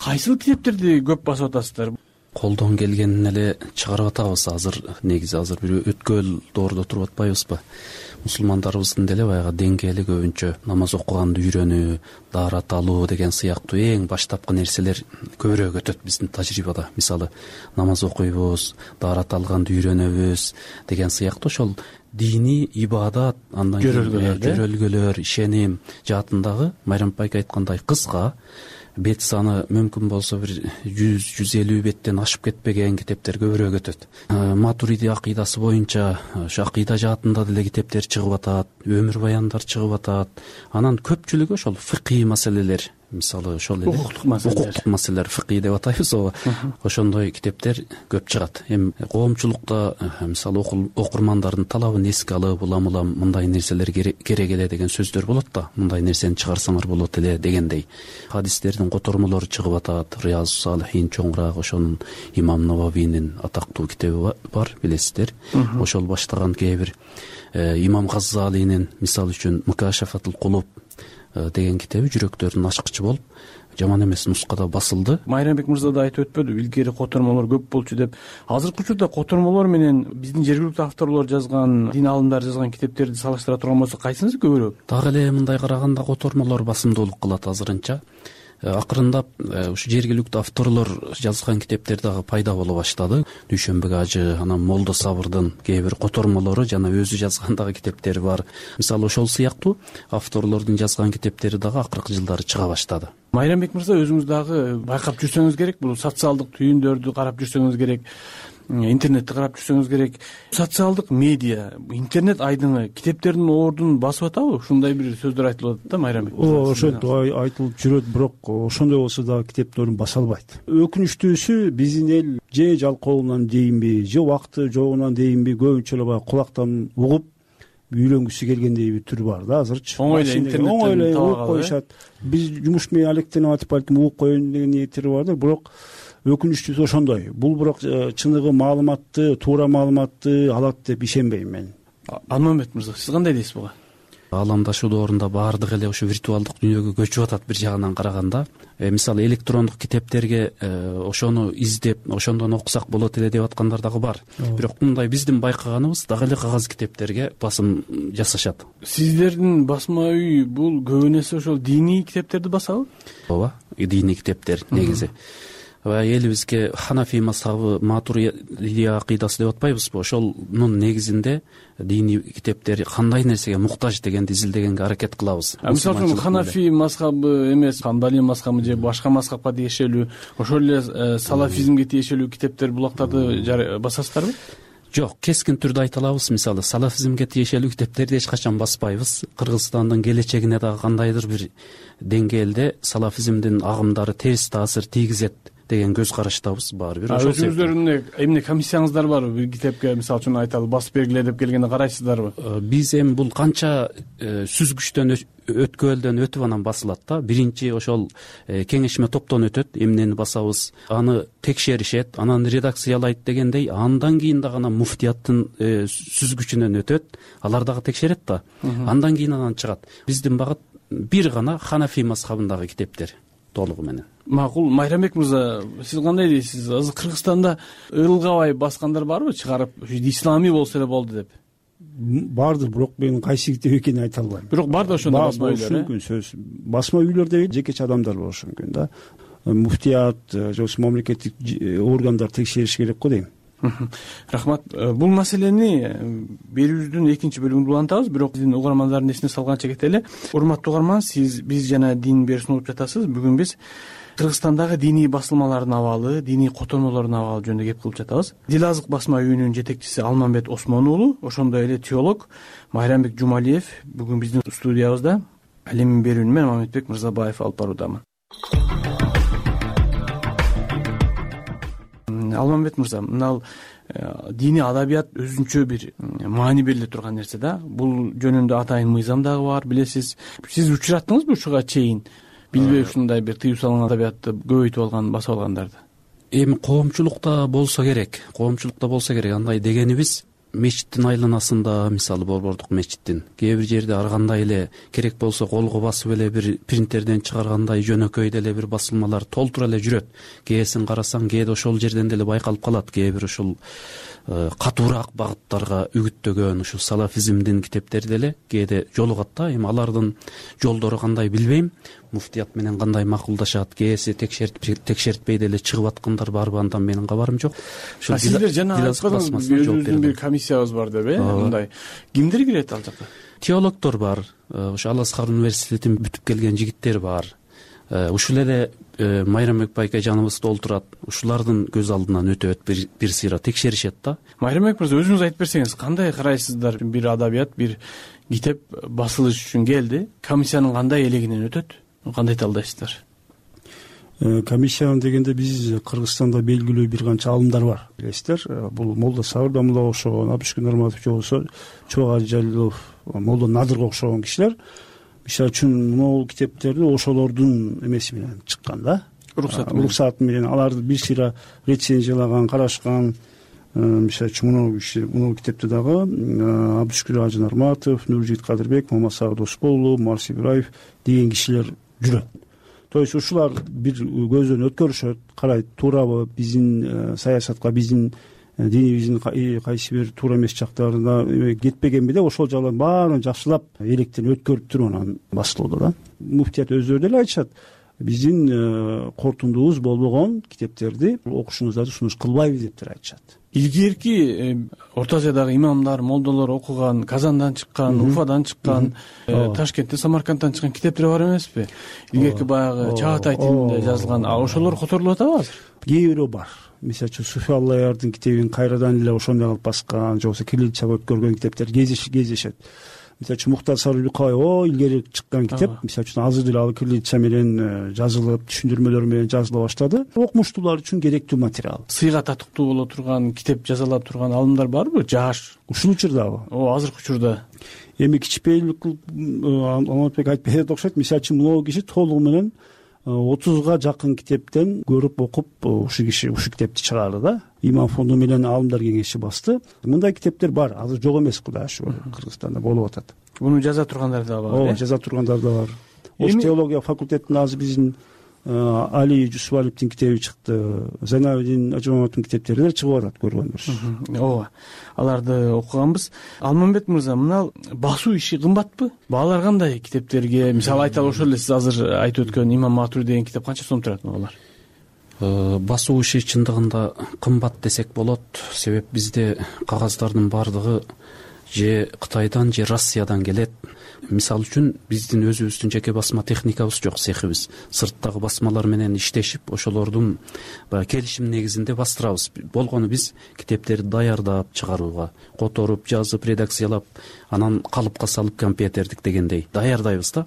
[SPEAKER 6] кайсыл китептерди көп басып атасыздар?
[SPEAKER 9] Колдон келгенин эле чыгарып атабыз. Негизи азыр бир өткөл доордо туруп атпайбызбы? Мусулмандарыбыздын деле баягы деңгээли көбүнчө намаз окуганды үйрөнүү, даарат алуу деген сыяктуу эң баштапкы нерселер көбүрөөк өтөт биздин тажрыйбада. Мисалы, намаз окуйбуз, даарат алганды үйрөнөбүз деген сыяктуу ошол диний ибадат, андан кийин көрөлгөлөр, ишеним жаатындагы Майрам апайка айткандай кыска, бет саны мүмкүн болсо бир 100-150 беттен ашып кетпеген китептер көбүрөөк өтөт. Матуриди акыйдасы боюнча ошо акыйда жаатында деле китептер чыгып атат, өмүр баяндар чыгып атат. Анан көпчүлүгү ошол фикый маселелер, мисалы ошол эле укуктук маселелер, фикый деп атайбыз, ошондой китептер көп чыгат. Эми коомчулукта мисалы окурмандардын талабын эске алып, улам мындай нерселер керек эле деген сөздөр болот да, мындай нерсени чыгарсаңар болот эле дегендей. Хадистердин котормолору чыгып атат. Риязу Салихин чоңураак ошонун Имам Нававийнин атактуу китеби бар, билесиздер. Ошол баштаган кээ бир Имам Газзалинин мисалы үчүн Мукашафатул Кулуб деген китеби жүрөктөрдүн ачкычы болуп, жаман эмес нускада басылды.
[SPEAKER 6] Майрамбек мырза да айтып өтпөдү, илгери котормолор көп болчу деп. Азыркы учурда котормолор менен биздин жергиликтүү авторлор жазган, дин алымдары жазган китептерди салыштыра турган болсо кайсынысы көбүрөөк?
[SPEAKER 9] Дагы эле мындай караганда котормолор басымдуулук кылат азырынча. Акырындап ушу жергиликтүү авторлор жазган китептер дагы пайда боло баштады. Дүйшөнбек ажы, анан Молдо Сабырдын кээ бир котормолору жана өзү жазган дагы китептери бар. Мисалы ошол сыяктуу авторлордун жазган китептери дагы акыркы жылдары чыга баштады.
[SPEAKER 6] Майрамбек мырза, өзүңүз дагы байкап жүрсөңүз керек, бул социалдык түйүндөрдү карап жүрсөңүз керек, интернетти карап жүрсөңүз керек. Социалдык медиа, интернет айдыңы китептердин ордун басып атабы? Ушундай бир сөздөр айтылып атат да, Майрамбек.
[SPEAKER 8] Ошентип айтылып жүрөт, бирок ошондой болсо дагы китептерин баса албайт. Өкүнүчтүүсү, биздин эл же жалкоолугунан дейинби, же убакыты жогунан дейинби, көбүнчө эле баягы кулактан угуп үйлөнгүсү келгендей бир түр бар да азырчы.
[SPEAKER 6] Оңой эле интернеттен
[SPEAKER 8] угуп коюшат. Биз жумуш менен алектенип атып балким угуп коеюн деген ниеттери бардыр, бирок өкүнүчтүүсү ошондой. Бул бирок чыныгы маалыматты, туура маалыматты алат деп ишенбейм мен.
[SPEAKER 6] Алмамбет мырза, сиз кандай дейсиз буга?
[SPEAKER 9] Аламдашуу доорунда баардык эле ушу виртуалдык дүйнөгө көчүп атат бир жагынан караганда. Мисалы электрондук китептерге ошону издеп, ошондон окусак болот эле деп аткандар дагы бар. Бирок мындай биздин байкаганыбыз дагы эле кагаз китептерге басым жасашат.
[SPEAKER 6] Сиздердин басма үй бул көбүнесе ошол диний китептерди басабы?
[SPEAKER 9] Ооба, диний китептер негизи. Элибизге Ханафи мазхабы, Матуридия акыйдасы деп атпайбызбы? Ошонун негизинде диний китептер кандай нерсеге муктаж дегенди изилдегенге аракет кылабыз.
[SPEAKER 6] Мисалы үчүн Ханафи мазхабы эмес, Хамбали мазхабы же башка мазхабка тиешелүү, ошол эле салафизмге тиешелүү китептер, булактарды басасыздарбы?
[SPEAKER 9] Жок, кескин түрдө айта алабыз. Мисалы, салафизмге тиешелүү китептерди эч качан баспайбыз. Кыргызстандын келечегине дагы кандайдыр бир деңгээлде салафизмдин агымдары терс таасир тийгизет деген көз караштабыз баары бир.
[SPEAKER 6] Өзүңүздөрдүн эмне комиссияңыздар барбы? Бир китепке мисалы үчүн айталы басып бергиле деп келгенде карайсыздарбы?
[SPEAKER 9] Биз эми бул канча сүзгүчтөн өткөлдөн өтүп анан басылат да. Биринчи ошол кеңешме топтон өтөт, эмнени басабыз, аны текшеришет, анан редакциялайт дегендей, андан кийин дагы анан муфтияттын сүзгүчүнөн өтөт, алар дагы текшерет да. Андан кийин анан чыгат. Биздин багыт бир гана Ханафи мазхабындагы китептер толугу менен.
[SPEAKER 6] Макул. Майрамбек мырза, сиз кандай дейсиз? Азыр Кыргызстанда ылгабай баскандар барбы, чыгарып исламий болсо эле болду деп?
[SPEAKER 8] Бардыр, бирок мен кайсы китеп экенин айта албайм.
[SPEAKER 6] Бирок бар да ошондой басма үйлөр.
[SPEAKER 8] Мүмкүн сөз. Басма үйлөрдө жекече адамдар болушу мүмкүн да. Муфтият же мамлекеттик органдар текшериш керек го дейм.
[SPEAKER 6] Рахмат. Бул маселени берүүбүздүн экинчи бөлүгүндө улантабыз, бирок биздин угармандардын эсине салганча кетели. Урматтуу угарман, сиз биз жана дин берүүсүн угуп жатасыз. Бүгүн биз Кыргызстандагы диний басылмалардын абалы, диний котормолордун абалы жөнүндө кеп кылып жатабыз. Дил азык басма үйүнүн жетекчиси Алмамбет Осмон уулу, ошондой эле теолог Майрамбек Жумалиев бүгүн биздин студиябызда. Ал эми берүүнү мен Мамедбек Мырзабаев алып баруудамын. Алмамбет мырза, мына диний адабият өзүнчө бир маани бериле турган нерсе да. Бул жөнүндө атайын мыйзам дагы бар, билесиз. Сиз учураттыңызбы ушуга чейин? Билбей ушундай бир тыюу салынган адабиятты көбөйтүп алган, басып алгандарды?
[SPEAKER 9] Эми коомчулукта болсо керек. Андай дегенибиз мечиттин айланасында, мисалы Борбордук мечиттин кээ бир жерде ар кандай эле керек болсо колго басып эле бир принтерден чыгаргандай жөнөкөй деле бир басылмалар толтура эле жүрөт. Кээсин карасаң, кээде ошол жерден деле байкалып калат. Кээ бир ушул катуураак багыттарга үгүттөгөн ушул салафизмдин китептери деле кээде жолугат да. Эми алардын жолдору кандай билбейм. Муфтият менен кандай макулдашат, кээси текшертпей деле чыгып аткандар барбы, андан менин кабарым жок.
[SPEAKER 6] Сиздер жана айткандыңыз, өзүбүздүн бир комиссиябыз бар деп, мындай. Кимдер кирет ал жака?
[SPEAKER 9] Теологдор бар, ошо Ал-Азхар университетин бүтүп келген жигиттер бар. Ушул эле Майрамбек байкажаныбыз толтурат. Ушулардын көз алдынан өтөт, бир сыйра текшеришет да.
[SPEAKER 6] Майрамбек мырза, өзүңүз айтып берсеңиз, кандай карайсыздар? Бир адабият, бир китеп басылыш үчүн келди. Комиссиянын кандай элегинен өтөт? Кандай талдайсыздар?
[SPEAKER 8] Комиссия дегенде биз Кыргызстанда белгилүү бир канча алымдар бар, билесиздер. Бул Молда Сабырдамулага окшогон, Абдышкүн Нурматов болсо, Чоога Жалилов, Молда Надырга окшогон кишилер. Мисалы үчүн могул китептерди ошолордун эмеси менен чыккан да. Уруксаты менен аларды бир сыйра рецензиялаган, карашкан. Мисалы үчүн муну китепти дагы Абдышкүн Ажы Нурматов, Нуржигит Кадырбек, Мамасагы Досболов, Марс Ибраев деген кишилер жүрөт. То есть ушулар бир көздөн өткөрүшөт, карайт, туурабы биздин саясатка, биздин динибиздин кайсы бир туура эмес жактарына кетпегенби деп ошол жактарын баарын жакшылап электен өткөрүп туруп анан басылууда да. Муфтият өздөрү деле айтышат, биздин кортундубуз болбогон китептерди окушуңуздарды сунуш кылбайбыз деп айтышат.
[SPEAKER 6] Илгерки Орто Азиядагы имамдар, молдолор окуган, Казандан чыккан, Уфадан чыккан, Ташкенттен, Самаркандтан чыккан китептер бар эмеспи? Илгерки баягы Чагатай тилинде жазылган, ошолор которулуп атабы азыр?
[SPEAKER 8] Кээ бирөө бар. Мисалы үчүн Суфи Аллаярдын китебин кайрадан эле ошондой кылып баскан, же болбосо кириллицага өткөргөн китептер кездешет. Мисалы үчүн Муктар Сарыбеков илгери чыккан китеп, мисалы үчүн азыр деле ал кириллица менен жазылып, түшүндүрмөлөр менен жазыла баштады. Окумуштуулар үчүн керектүү материал.
[SPEAKER 6] Сыйга татыктуу боло турган, китеп жазалап турган алымдар барбы? Жаш
[SPEAKER 8] ушул учурдабы?
[SPEAKER 6] Азыркы учурда.
[SPEAKER 8] Эми кичипейилик Алматбек айтып берет окшойт. Мисалы үчүн могу киши толугу менен 30га жакын китептен көрүп окуп ушул китепти чыгарды да. Имам фонду менен Алымдар кеңеши басты. Мындай китептер бар, азыр жок эмес, Кудай шүгүр, Кыргызстанда болуп атат.
[SPEAKER 6] Муну жаза тургандар да бар.
[SPEAKER 8] Ооба, жаза тургандар да бар. Ош теология факультетинде азыр биздин Али Жусупалиевдин китеби чыкты, Зайнабидин Ажымамовдун китептери да чыгып атат, көргөндөр.
[SPEAKER 6] Ооба, аларды окуганбыз. Алмамбет мырза, мына басуу иши кымбатпы? Баалар кандай китептерге? Мисалы айталы, ошол эле сиз азыр айтып өткөн Имам Матури деген китеп канча сом турат баалар?
[SPEAKER 9] Басуу иши чындыгында кымбат десек болот. Себеп бизде кагаздардын баардыгы же Кытайдан же Россиядан келет. Мисалы үчүн биздин өзүбүздүн жеке басма техникабыз жок, цехибиз. Сырттагы басмалар менен иштешип, ошолордун келишим негизинде бастырабыз. Болгону биз китептерди даярдап чыгарууга, которуп, жазып, редакциялап, анан калыпка салып компьютердик дегендей даярдайбыз да.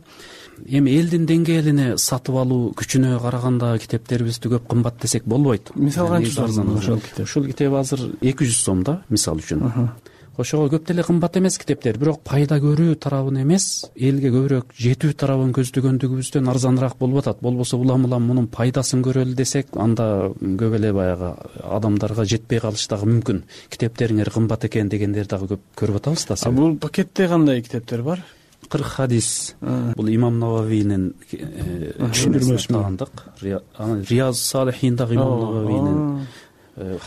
[SPEAKER 9] Эми элдин деңгээлине сатып алуу күчүнө караганда китептерибизди көп кымбат десек болбойт.
[SPEAKER 6] Мисалы канча сом
[SPEAKER 9] ушул китеп азыр 200 сом да, мисалы үчүн. Ошого көп деле кымбат эмес китептер, бирок пайда көрүү тарабын эмес, элге көбүрөөк жетүү тарабын көздөгөндүгүбүздөн арзаныраак болуп атат. Болбосо улам мунун пайдасын көрөлү десек, анда көп эле баягы адамдарга жетпей калыш дагы мүмкүн. Китептериңер кымбат экен дегендерди дагы көп көрүп атабыз да.
[SPEAKER 6] Бул пакетте кандай китептер бар?
[SPEAKER 9] 40 хадис. Бул Имам Нававийнин түшүндүрмөсү тагандык. Рияз Салихиндагы Имам Нававийнин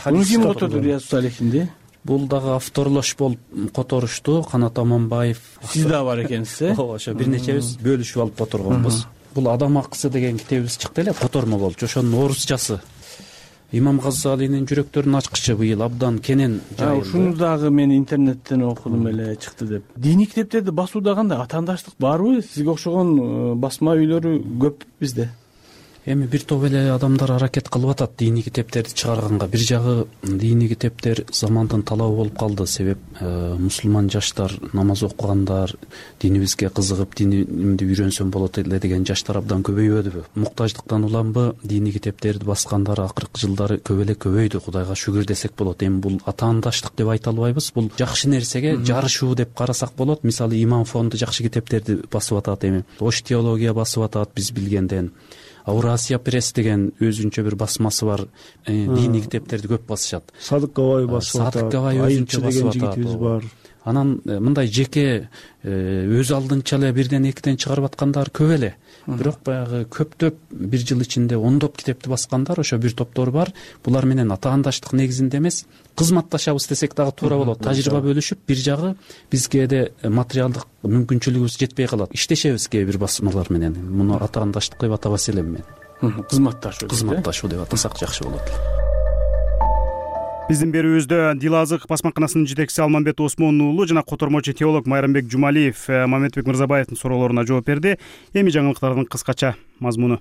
[SPEAKER 6] хадис. Ким которду Рияз Салихинди?
[SPEAKER 9] Бул дагы авторлош болуп которушту, Канат Аманбаев.
[SPEAKER 6] Сиз да бар экенсиз, э?
[SPEAKER 9] Ооба, ошо бир нечебиз бөлүшүп алып которгонбуз. Бул Адам акысы деген китебибиз чыкты эле, котормо болчу, ошонун орусчасы. Имам Газзалинин жүрөктөрүн ачкычы быйыл абдан кенен жайылды.
[SPEAKER 6] Ушуну дагы мен интернеттен окудум эле, чыкты деп. Диний китептерди басууда кандай атаандаштык барбы? Сизге окшогон басма үйлөрү көп бизде.
[SPEAKER 9] Эми бир топ эле адамдар аракет кылып атат диний китептерди чыгарганга. Бир жагы диний китептер замандын талабы болуп калды. Себеп мусулман жаштар, намаз окугандар, динибизге кызыгып, динимди үйрөнсөм болот эле деген жаштар абдан көбөйбөдүбү? Муктаждыктан уламбы диний китептерди баскандар акыркы жылдары көп эле көбөйдү, Кудайга шүгүр десек болот. Эми бул атаандаштык деп айта албайбыз. Бул жакшы нерсеге жарышуу деп карасак болот. Мисалы Имам фонду жакшы китептерди басып атат эми. Ош теология басып атат биз билгенден. Урасия пресс деген өзүнчө бир басмасы бар, диний китептерди көп басышат.
[SPEAKER 8] Садык Габай басып атат.
[SPEAKER 9] Садык Габай өзүнчө басып атат. Анан мындай жеке өз алдынча эле бирден экиден чыгарып аткандар көп эле. Бирок баягы көптөп бир жыл ичинде ондоп китепти баскандар ошо бир топтор бар. Булар менен атаандаштык негизинде эмес, кызматташабыз десек дагы туура болот. Тажрыйба бөлүшүп, бир жагы бизге материалдык мүмкүнчүлүгүбүз жетпей калат. Иштешебиз кээ бир басмалар менен. Муну атаандаштык деп атабас элем мен. Кызматташуу деп атасак жакшы болот.
[SPEAKER 1] Биздин берүүбүздө Дилазык басмаканасынын жетекчиси Алмамбет Осмон уулу жана котормочу теолог Майрамбек Жумалиев Мамедбек Мырзабаевдин суроолоруна жооп берди. Эми жаңылыктардын кыскача мазмуну.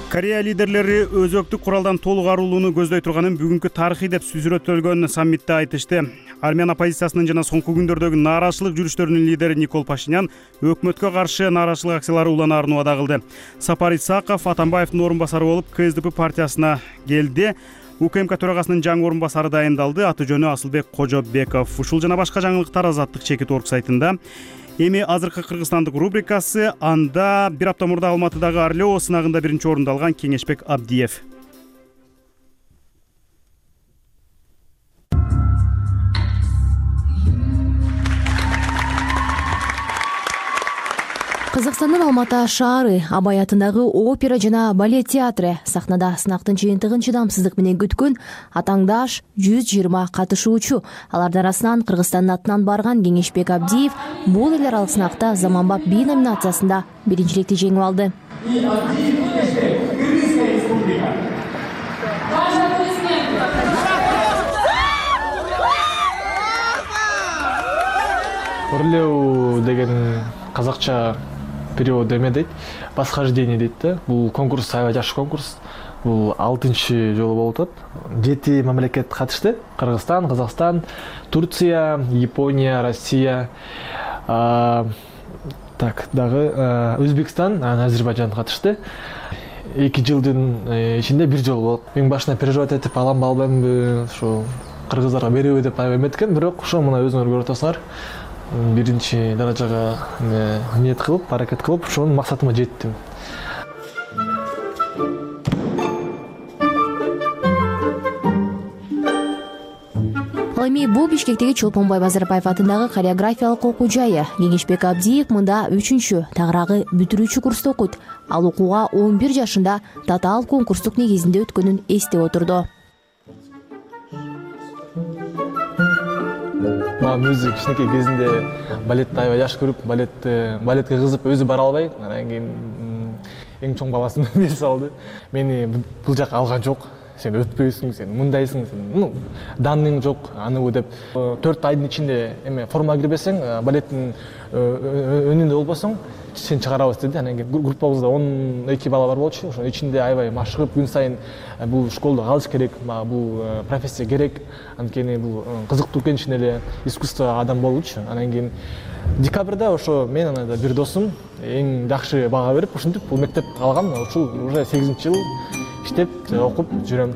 [SPEAKER 1] Корея лидерлери өзөктүк куралдан толук арылууну көздөй турганын бүгүнкү тарыхый деп сүрөттөлгөн саммитте айтышты. Армян оппозициясынын жана соңку күндөрдөгү нааразычылык жүрүштөрүнүн лидери Никол Пашинян өкмөткө каршы нааразычылык акциялары уланаарын убада кылды. Сапар Исаков Атамбаевдин орун басары болуп КСДП партиясына келди. УКМК төрагасынын жаңы орун басары дайындалды. Аты жөнү Асылбек Кожобеков. Ушул жана башка жаңылыктар Азаттык чекит орг сайтында. Эми азыркы кыргызстандык рубрикасы, анда бир апта мурда Алматыдагы Орлео сынагында биринчи орунду алган Кеңешбек Абдиев.
[SPEAKER 22] Кыргызстандын Алматы шаары Абай атындагы опера жана балет театры сахнада сынактын жыйынтыгын чыдамсыздык менен күткөн атаңдаш 120 катышуучу. Алардын арасынан Кыргызстандын атынан барган Кеңешбек Абдиев бул эл аралык сынакта заманбап би номинациясында биринчиликти жеңип алды.
[SPEAKER 10] Орлео деген казакча перевод эме дейт, восхождение дейт да. Бул конкурс аябай жакшы конкурс. Бул 6-чы жолу болуп атат. 7 мамлекет катышты. Кыргызстан, Казакстан, Турция, Япония, Россия, дагы Өзбекстан, Азербайжан катышты. 2 жылдын ичинде бир жолу болот. Мен башына переживать этип аламбы албаймбы, ошо кыргыздарга береби деп аябай эметкен, бирок ошо мына өзүңөр көрүп атасыңар. Биринчи даражага ниет кылып, аракет кылып, ошонун максатыма жеттим.
[SPEAKER 22] Ал эми бул Бишкектеги Чолпонбай Базарбаев атындагы хореографиялык окуу жайы. Кеңешбек Абдиев мында 3-чү, тагыраагы бүтүрүүчү курста окуйт. Ал окууга 11 жашында татаал конкурстук негизинде өткөнүн эстеп отурду.
[SPEAKER 10] Өзү кичинекей кезинде балетти аябай жакшы көрүп, балетке кызып өзү бара албай, анан кийин эң чоң баласын берип салды. Мени бул жака алган жок. Сен өтпөйсүң, сен мындайсың, сен даның жок, аныбы деп 4 айдын ичинде форма кирбесең, балеттин өнүндө болбосоң, сен чыгарабыз деди. Анан кийин группабызда 12 бала бар болчу. Ошонун ичинде аябай машыгып, күн сайын бул школдо калыш керек, бул профессия керек. Анткени бул кызыктуу экенин эле искусство адам болчу. Анан кийин декабрда ошо мен анада бир досум эң жакшы бага берип, ушинтип бул мектепти алгам. Ушул уже 8-жыл иштеп, окуп жүрөм.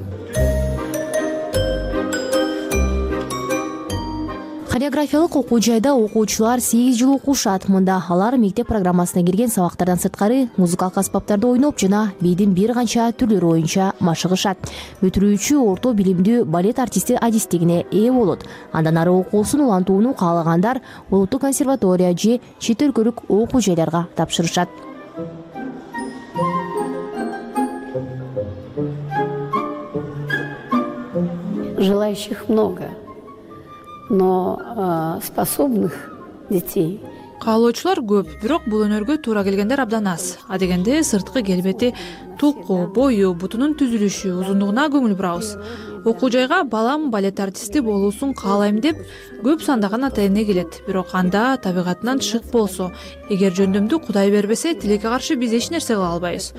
[SPEAKER 22] Хореографиялык окуу жайда окуучулар 8 жыл окушат. Мында алар мектеп программасына кирген сабактардан сырткары музыкалык аспаптарды ойноп жана бийдин бир канча түрлөрү боюнча машыгышат. Бүтүрүүчү орто билимдүү балет артисти адистигине ээ болот. Андан ары окуусун улантууну каалагандар улуттук консерватория же чет өлкөлүк окуу жайларга тапшырышат.
[SPEAKER 11] Желающих много, но способных детей.
[SPEAKER 12] Каалоочулар көп, бирок бул өнөргө туура келгендер абдан аз. Адегенде сырткы келбети, тулку, бою, бутунун түзүлүшү, узундугуна көңүл бурабыз. Окуу жайга балам балет артисти болуусун каалайм деп көп сандаган ата-эне келет. Бирок анда табигатынан шык болсо, эгер жөндөмдү Кудай бербесе, тилекке каршы биз эч нерсе кыла албайбыз.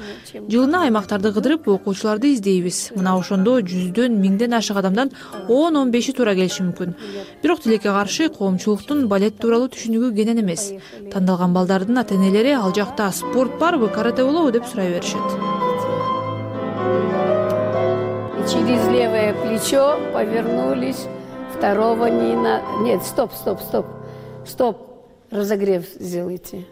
[SPEAKER 12] Жылына аймактарды кыдырып окуучуларды издейбиз. Мына ошондо 100дөн 1000ден ашык адамдан 10-15 туура келиши мүмкүн. Бирок тилекке каршы коомчулуктун балет тууралуу түшүнүгү кенен эмес. Тандалган балдардын ата-энелери ал жакта спорт барбы, карате болобу деп сурай беришет.
[SPEAKER 11] Через левое плечо повернулись, второго не на... Нет, стоп. Стоп, разогрев сделайте.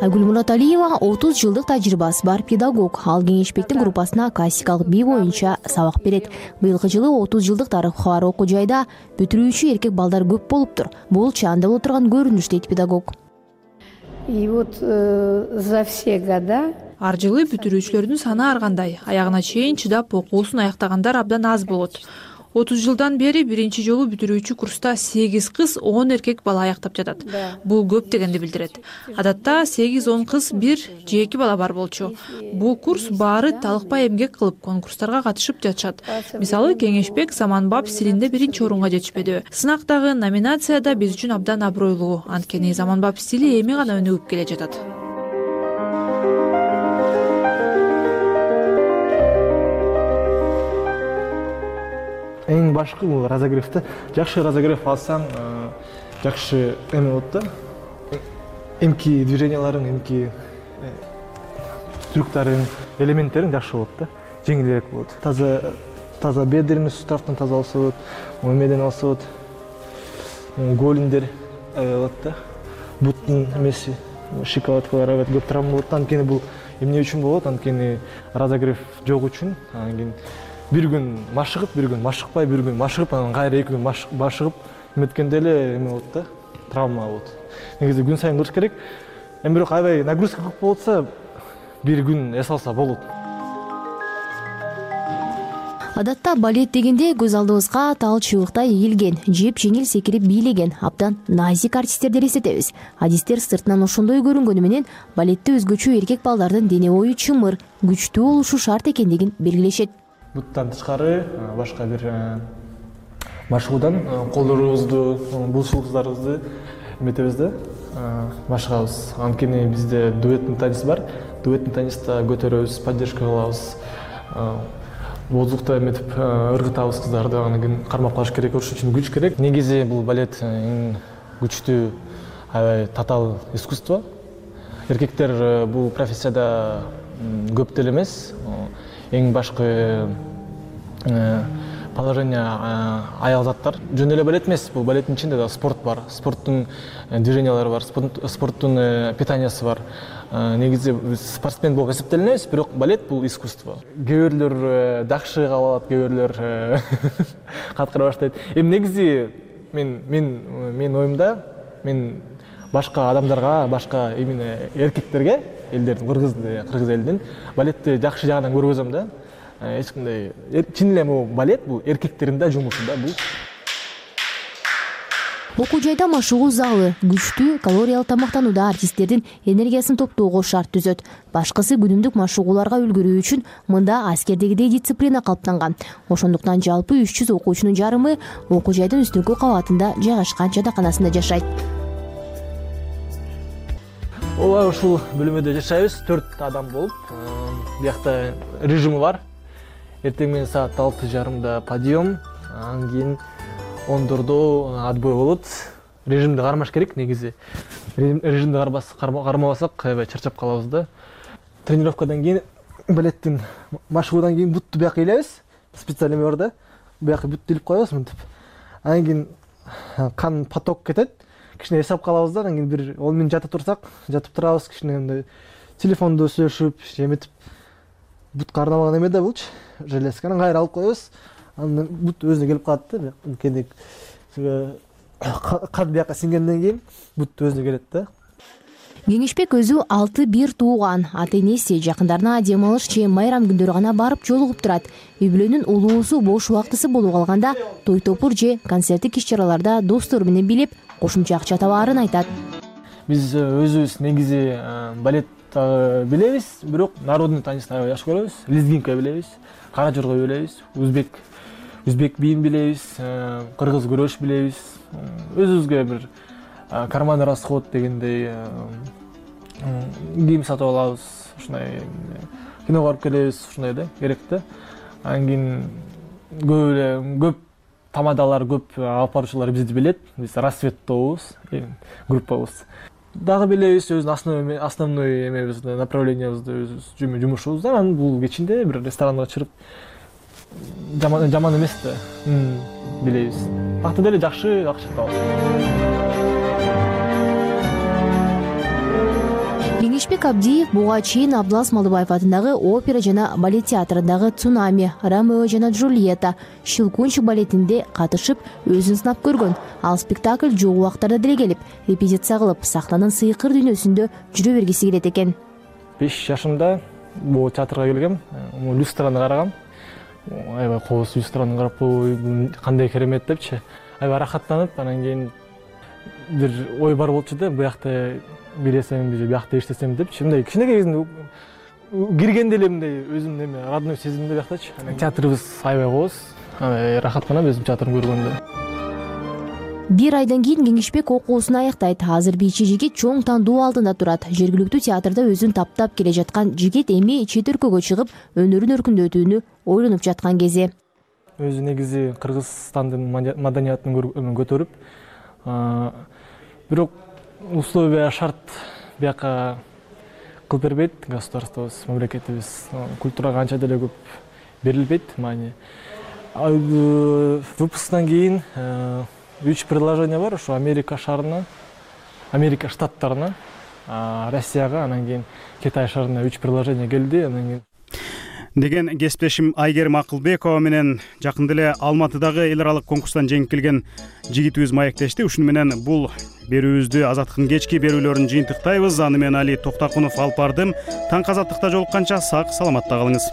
[SPEAKER 22] Айгүл Мураталиева 30 жылдык тажрыйбасы бар педагог. Ал кеңешбектин группасына классикалык би боюнча сабак берет. Быйылкы жылы 30 жылдык тарыхы бар окуу жайда бүтүрүүчү эркек балдар көп болуптур. Бул чаанда боло турган көрүнүш дейт педагог.
[SPEAKER 11] И вот за все года
[SPEAKER 12] ар жылы бүтүрүүчүлөрдүн саны ар кандай. Аягына чейин чыдап окуусун аяктагандар абдан аз болот. 30 жылдан бери биринчи жолу бүтүрүүчү курста 8 кыз, 10 эркек бала аяктап жатат. Бул көп дегенди билдирет. Адатта 8-10 кыз, 1 же 2 бала бар болчу. Бул курс баары талыкпай эмгек кылып конкурстарга катышып жатышат. Мисалы, Кеңешбек заманбап стилинде биринчи орунга жетишпеди. Сынактагы номинацияда биз үчүн абдан абройлуу, анткени заманбап стили эми гана өнүгүп келе жатат.
[SPEAKER 10] Эң башкы бул разогревде жакшы разогрев алсаң, жакшы эме болот да. Эмки движенияларың, эмки трюктарың, элементтериң жакшы болот да. Жеңилирээк болот. Таза бедренный суставдан таза алса болот, эмеден алса болот. Голиндер болот да. Буттун эмеси, шикалаткалар көп травма болот. Анткени бул эмне үчүн болот? Анткени разогрев жок үчүн, анан бир күн машыгып, бир күн машыкпай, бир күн машыгып, анан кайра 2 күн машыгып эметкенде эле эме болот да, травма болот. Негизи күн сайын кылыш керек. Эми бирок аябай нагрузка көп болса, бир күн эс алса болот.
[SPEAKER 22] Адатта балет дегенде көз алдыбызга тал чыбыктай ийилген, жеп жеңил секирип бийлеген, абдан назик артисттерди элестетебиз. Адистер сыртынан ошондой көрүнгөнү менен балетте өзгөчө эркек балдардын дене бою чымыр, күчтүү болушу шарт экендигин белгилешет.
[SPEAKER 10] Буттан тышкары башка бир машыгуудан колдорубузду, булчулуктарыбызды эметебиз да, машыгабыз. Анткени бизде дуэттин теннис бар. Дуэттин тенниста көтөрөбүз, поддержка кылабыз. Воздухта эметип ыргытабыз кыздарды, анан кийин кармап калыш керек, ошон үчүн күч керек. Негизи бул балет эң күчтүү, аябай татаал искусство. Эркектер бул профессияда көп деле эмес. Эң башкы положение аял заттар. Жөн эле балет эмес, бул балеттин ичинде да спорт бар. Спорттун движениялары бар, спорттун питаниясы бар. Негизи спортсмен болуп эсептелинебиз, бирок балет бул искусство. Кээ бирлер дакшы кабыл алат, кээ бирлер каткыра баштайт. Эми негизи мен оюмда, мен башка адамдарга, башка именно эркектерге, элдердин, кыргыз элдин балетти жакшы жагынан көргөзөм да. Эч кандай чын эле бул балет бул эркектердин да жумушу да бул.
[SPEAKER 22] Окуу жайда машыгуу залы, күчтүү калориялык тамактанууда артисттердин энергиясын топтоого шарт түзөт. Башкысы күнүмдүк машыгууларга үлгүрүү үчүн мында аскердегидей дисциплина калыптанган. Ошондуктан жалпы 300 окуучунун жарымы окуу жайдын үстүнкү кабатында жайгашкан жатаканасында жашайт.
[SPEAKER 10] Ооба, ушул бөлмөдө жашайбыз, 4 адам болуп. Биякта режимы бар. Эртең менен саат 6:30 подъем, анан кийин 10:00 отбой болот. Режимди кармаш керек негизи. Режимди кармабасак аябай чарчап калабыз да. Тренировкадан кийин, балеттин машыгуудан кийин бутту бияка илебиз. Специаль эме бар да. Бияка бутту илип коебуз мынтип. Анан кийин кан поток кетет. Кичине эсап калабыз да, анан кийин бир 10 мүнөт жата турсак, жатып турабыз, кичине мындай телефондо сүйлөшүп, эметип. Бут карнамаган эме да булчу, железка. Анан кайра алып коебуз. Анан бут өзүнө келип калат да, кенек кан бияка сиңгенден кийин бут өзүнө келет да.
[SPEAKER 22] Кеңешбек өзү 6-1 тууган. Ата-энеси жакындарына дем алыш же майрам күндөрү гана барып жолугуп турат. Үй бүлөнүн улуусу бош убактысы болуп калганда той топур же концерттик иш-чараларда достору менен билип, кошумча акча табаарын айтат.
[SPEAKER 10] Биз өзүбүз негизи балет билебиз, бирок народный танцты аябай жакшы көрөбүз. Лезгинка билебиз, кара жорго билебиз, өзбек биин билебиз, кыргыз күрөш билебиз. Өзүбүзгө бир карманный расход дегендей кийим сатып алабыз, ушундай киного барып келебиз, ушундай да, керек да. Анан кийин көп тамадалар, көп алып баруучулар бизди билет. Биз рассветтобуз, группабыз. Дагы билебиз өзүнүн основной эмебизди, направлениябызды, өзүбүз жумушубузду. Анан бул кечинде бир ресторанга чыгып жаман эмес да, билебиз. Акты деле жакшы табабыз.
[SPEAKER 22] Кеңешбек Абдиев буга чейин Абдылас Малдыбаев атындагы опера жана балет театрындагы «Цунами», «Ромео жана Джульетта», «Щелкунчик» балетинде катышып өзүн сынап көргөн. Ал спектакль жок убактарда деле келип, репетиция кылып, сахнанын сыйкыр дүйнөсүндө жүрө бергиси келет экен.
[SPEAKER 10] 5 жашымда бул театрга келгем, люстраны карагам. Аябай кооз люстраны карап, кандай керемет депчи. Аябай рахаттанып, анан кийин бир ой бар болчу да, буякта билесем, буякта иштесем депчи. Мындай кичинекей кезинде киргенде эле мындай өзүм неме родной сезимде буяктачы. Театрыбыз аябай кооз, рахаттанам өзүм театрын көргөндө.
[SPEAKER 22] Бир айдан кийин Кеңешбек окуусун аяктайт. Азыр бийчи жигит чоң тандоо алдында турат. Жергиликтүү театрда өзүн таптап келе жаткан жигит эми чет өлкөгө чыгып, өнөрүн өркүндөтүүнү ойлонуп жаткан кези.
[SPEAKER 10] Өзү негизи Кыргызстандын маданиятын көтөрүп, бирок условия шарт бияка кылып бербейт государствобуз, мамлекетибиз. Культурага анча деле көп берилбейт маани. Выпусктан кийин 3 предложение бар ушу Америка шаарына, Америка штаттарына, Россияга, анан кийин Китай шаарына 3 предложение келди, анан кийин
[SPEAKER 1] деген кесиптешим Айгерим Акылбекова менен жакында эле Алматыдагы эл аралык конкурстан жеңип келген жигитибиз маектешти. Ушуну менен бул берүүбүздү Азаттыктын кечки берүүлөрүн жыйынтыктайбыз. Аны менен Али Токтакунов алып бардым. Таң азаттыкта жолукканча сак саламатта калыңыз.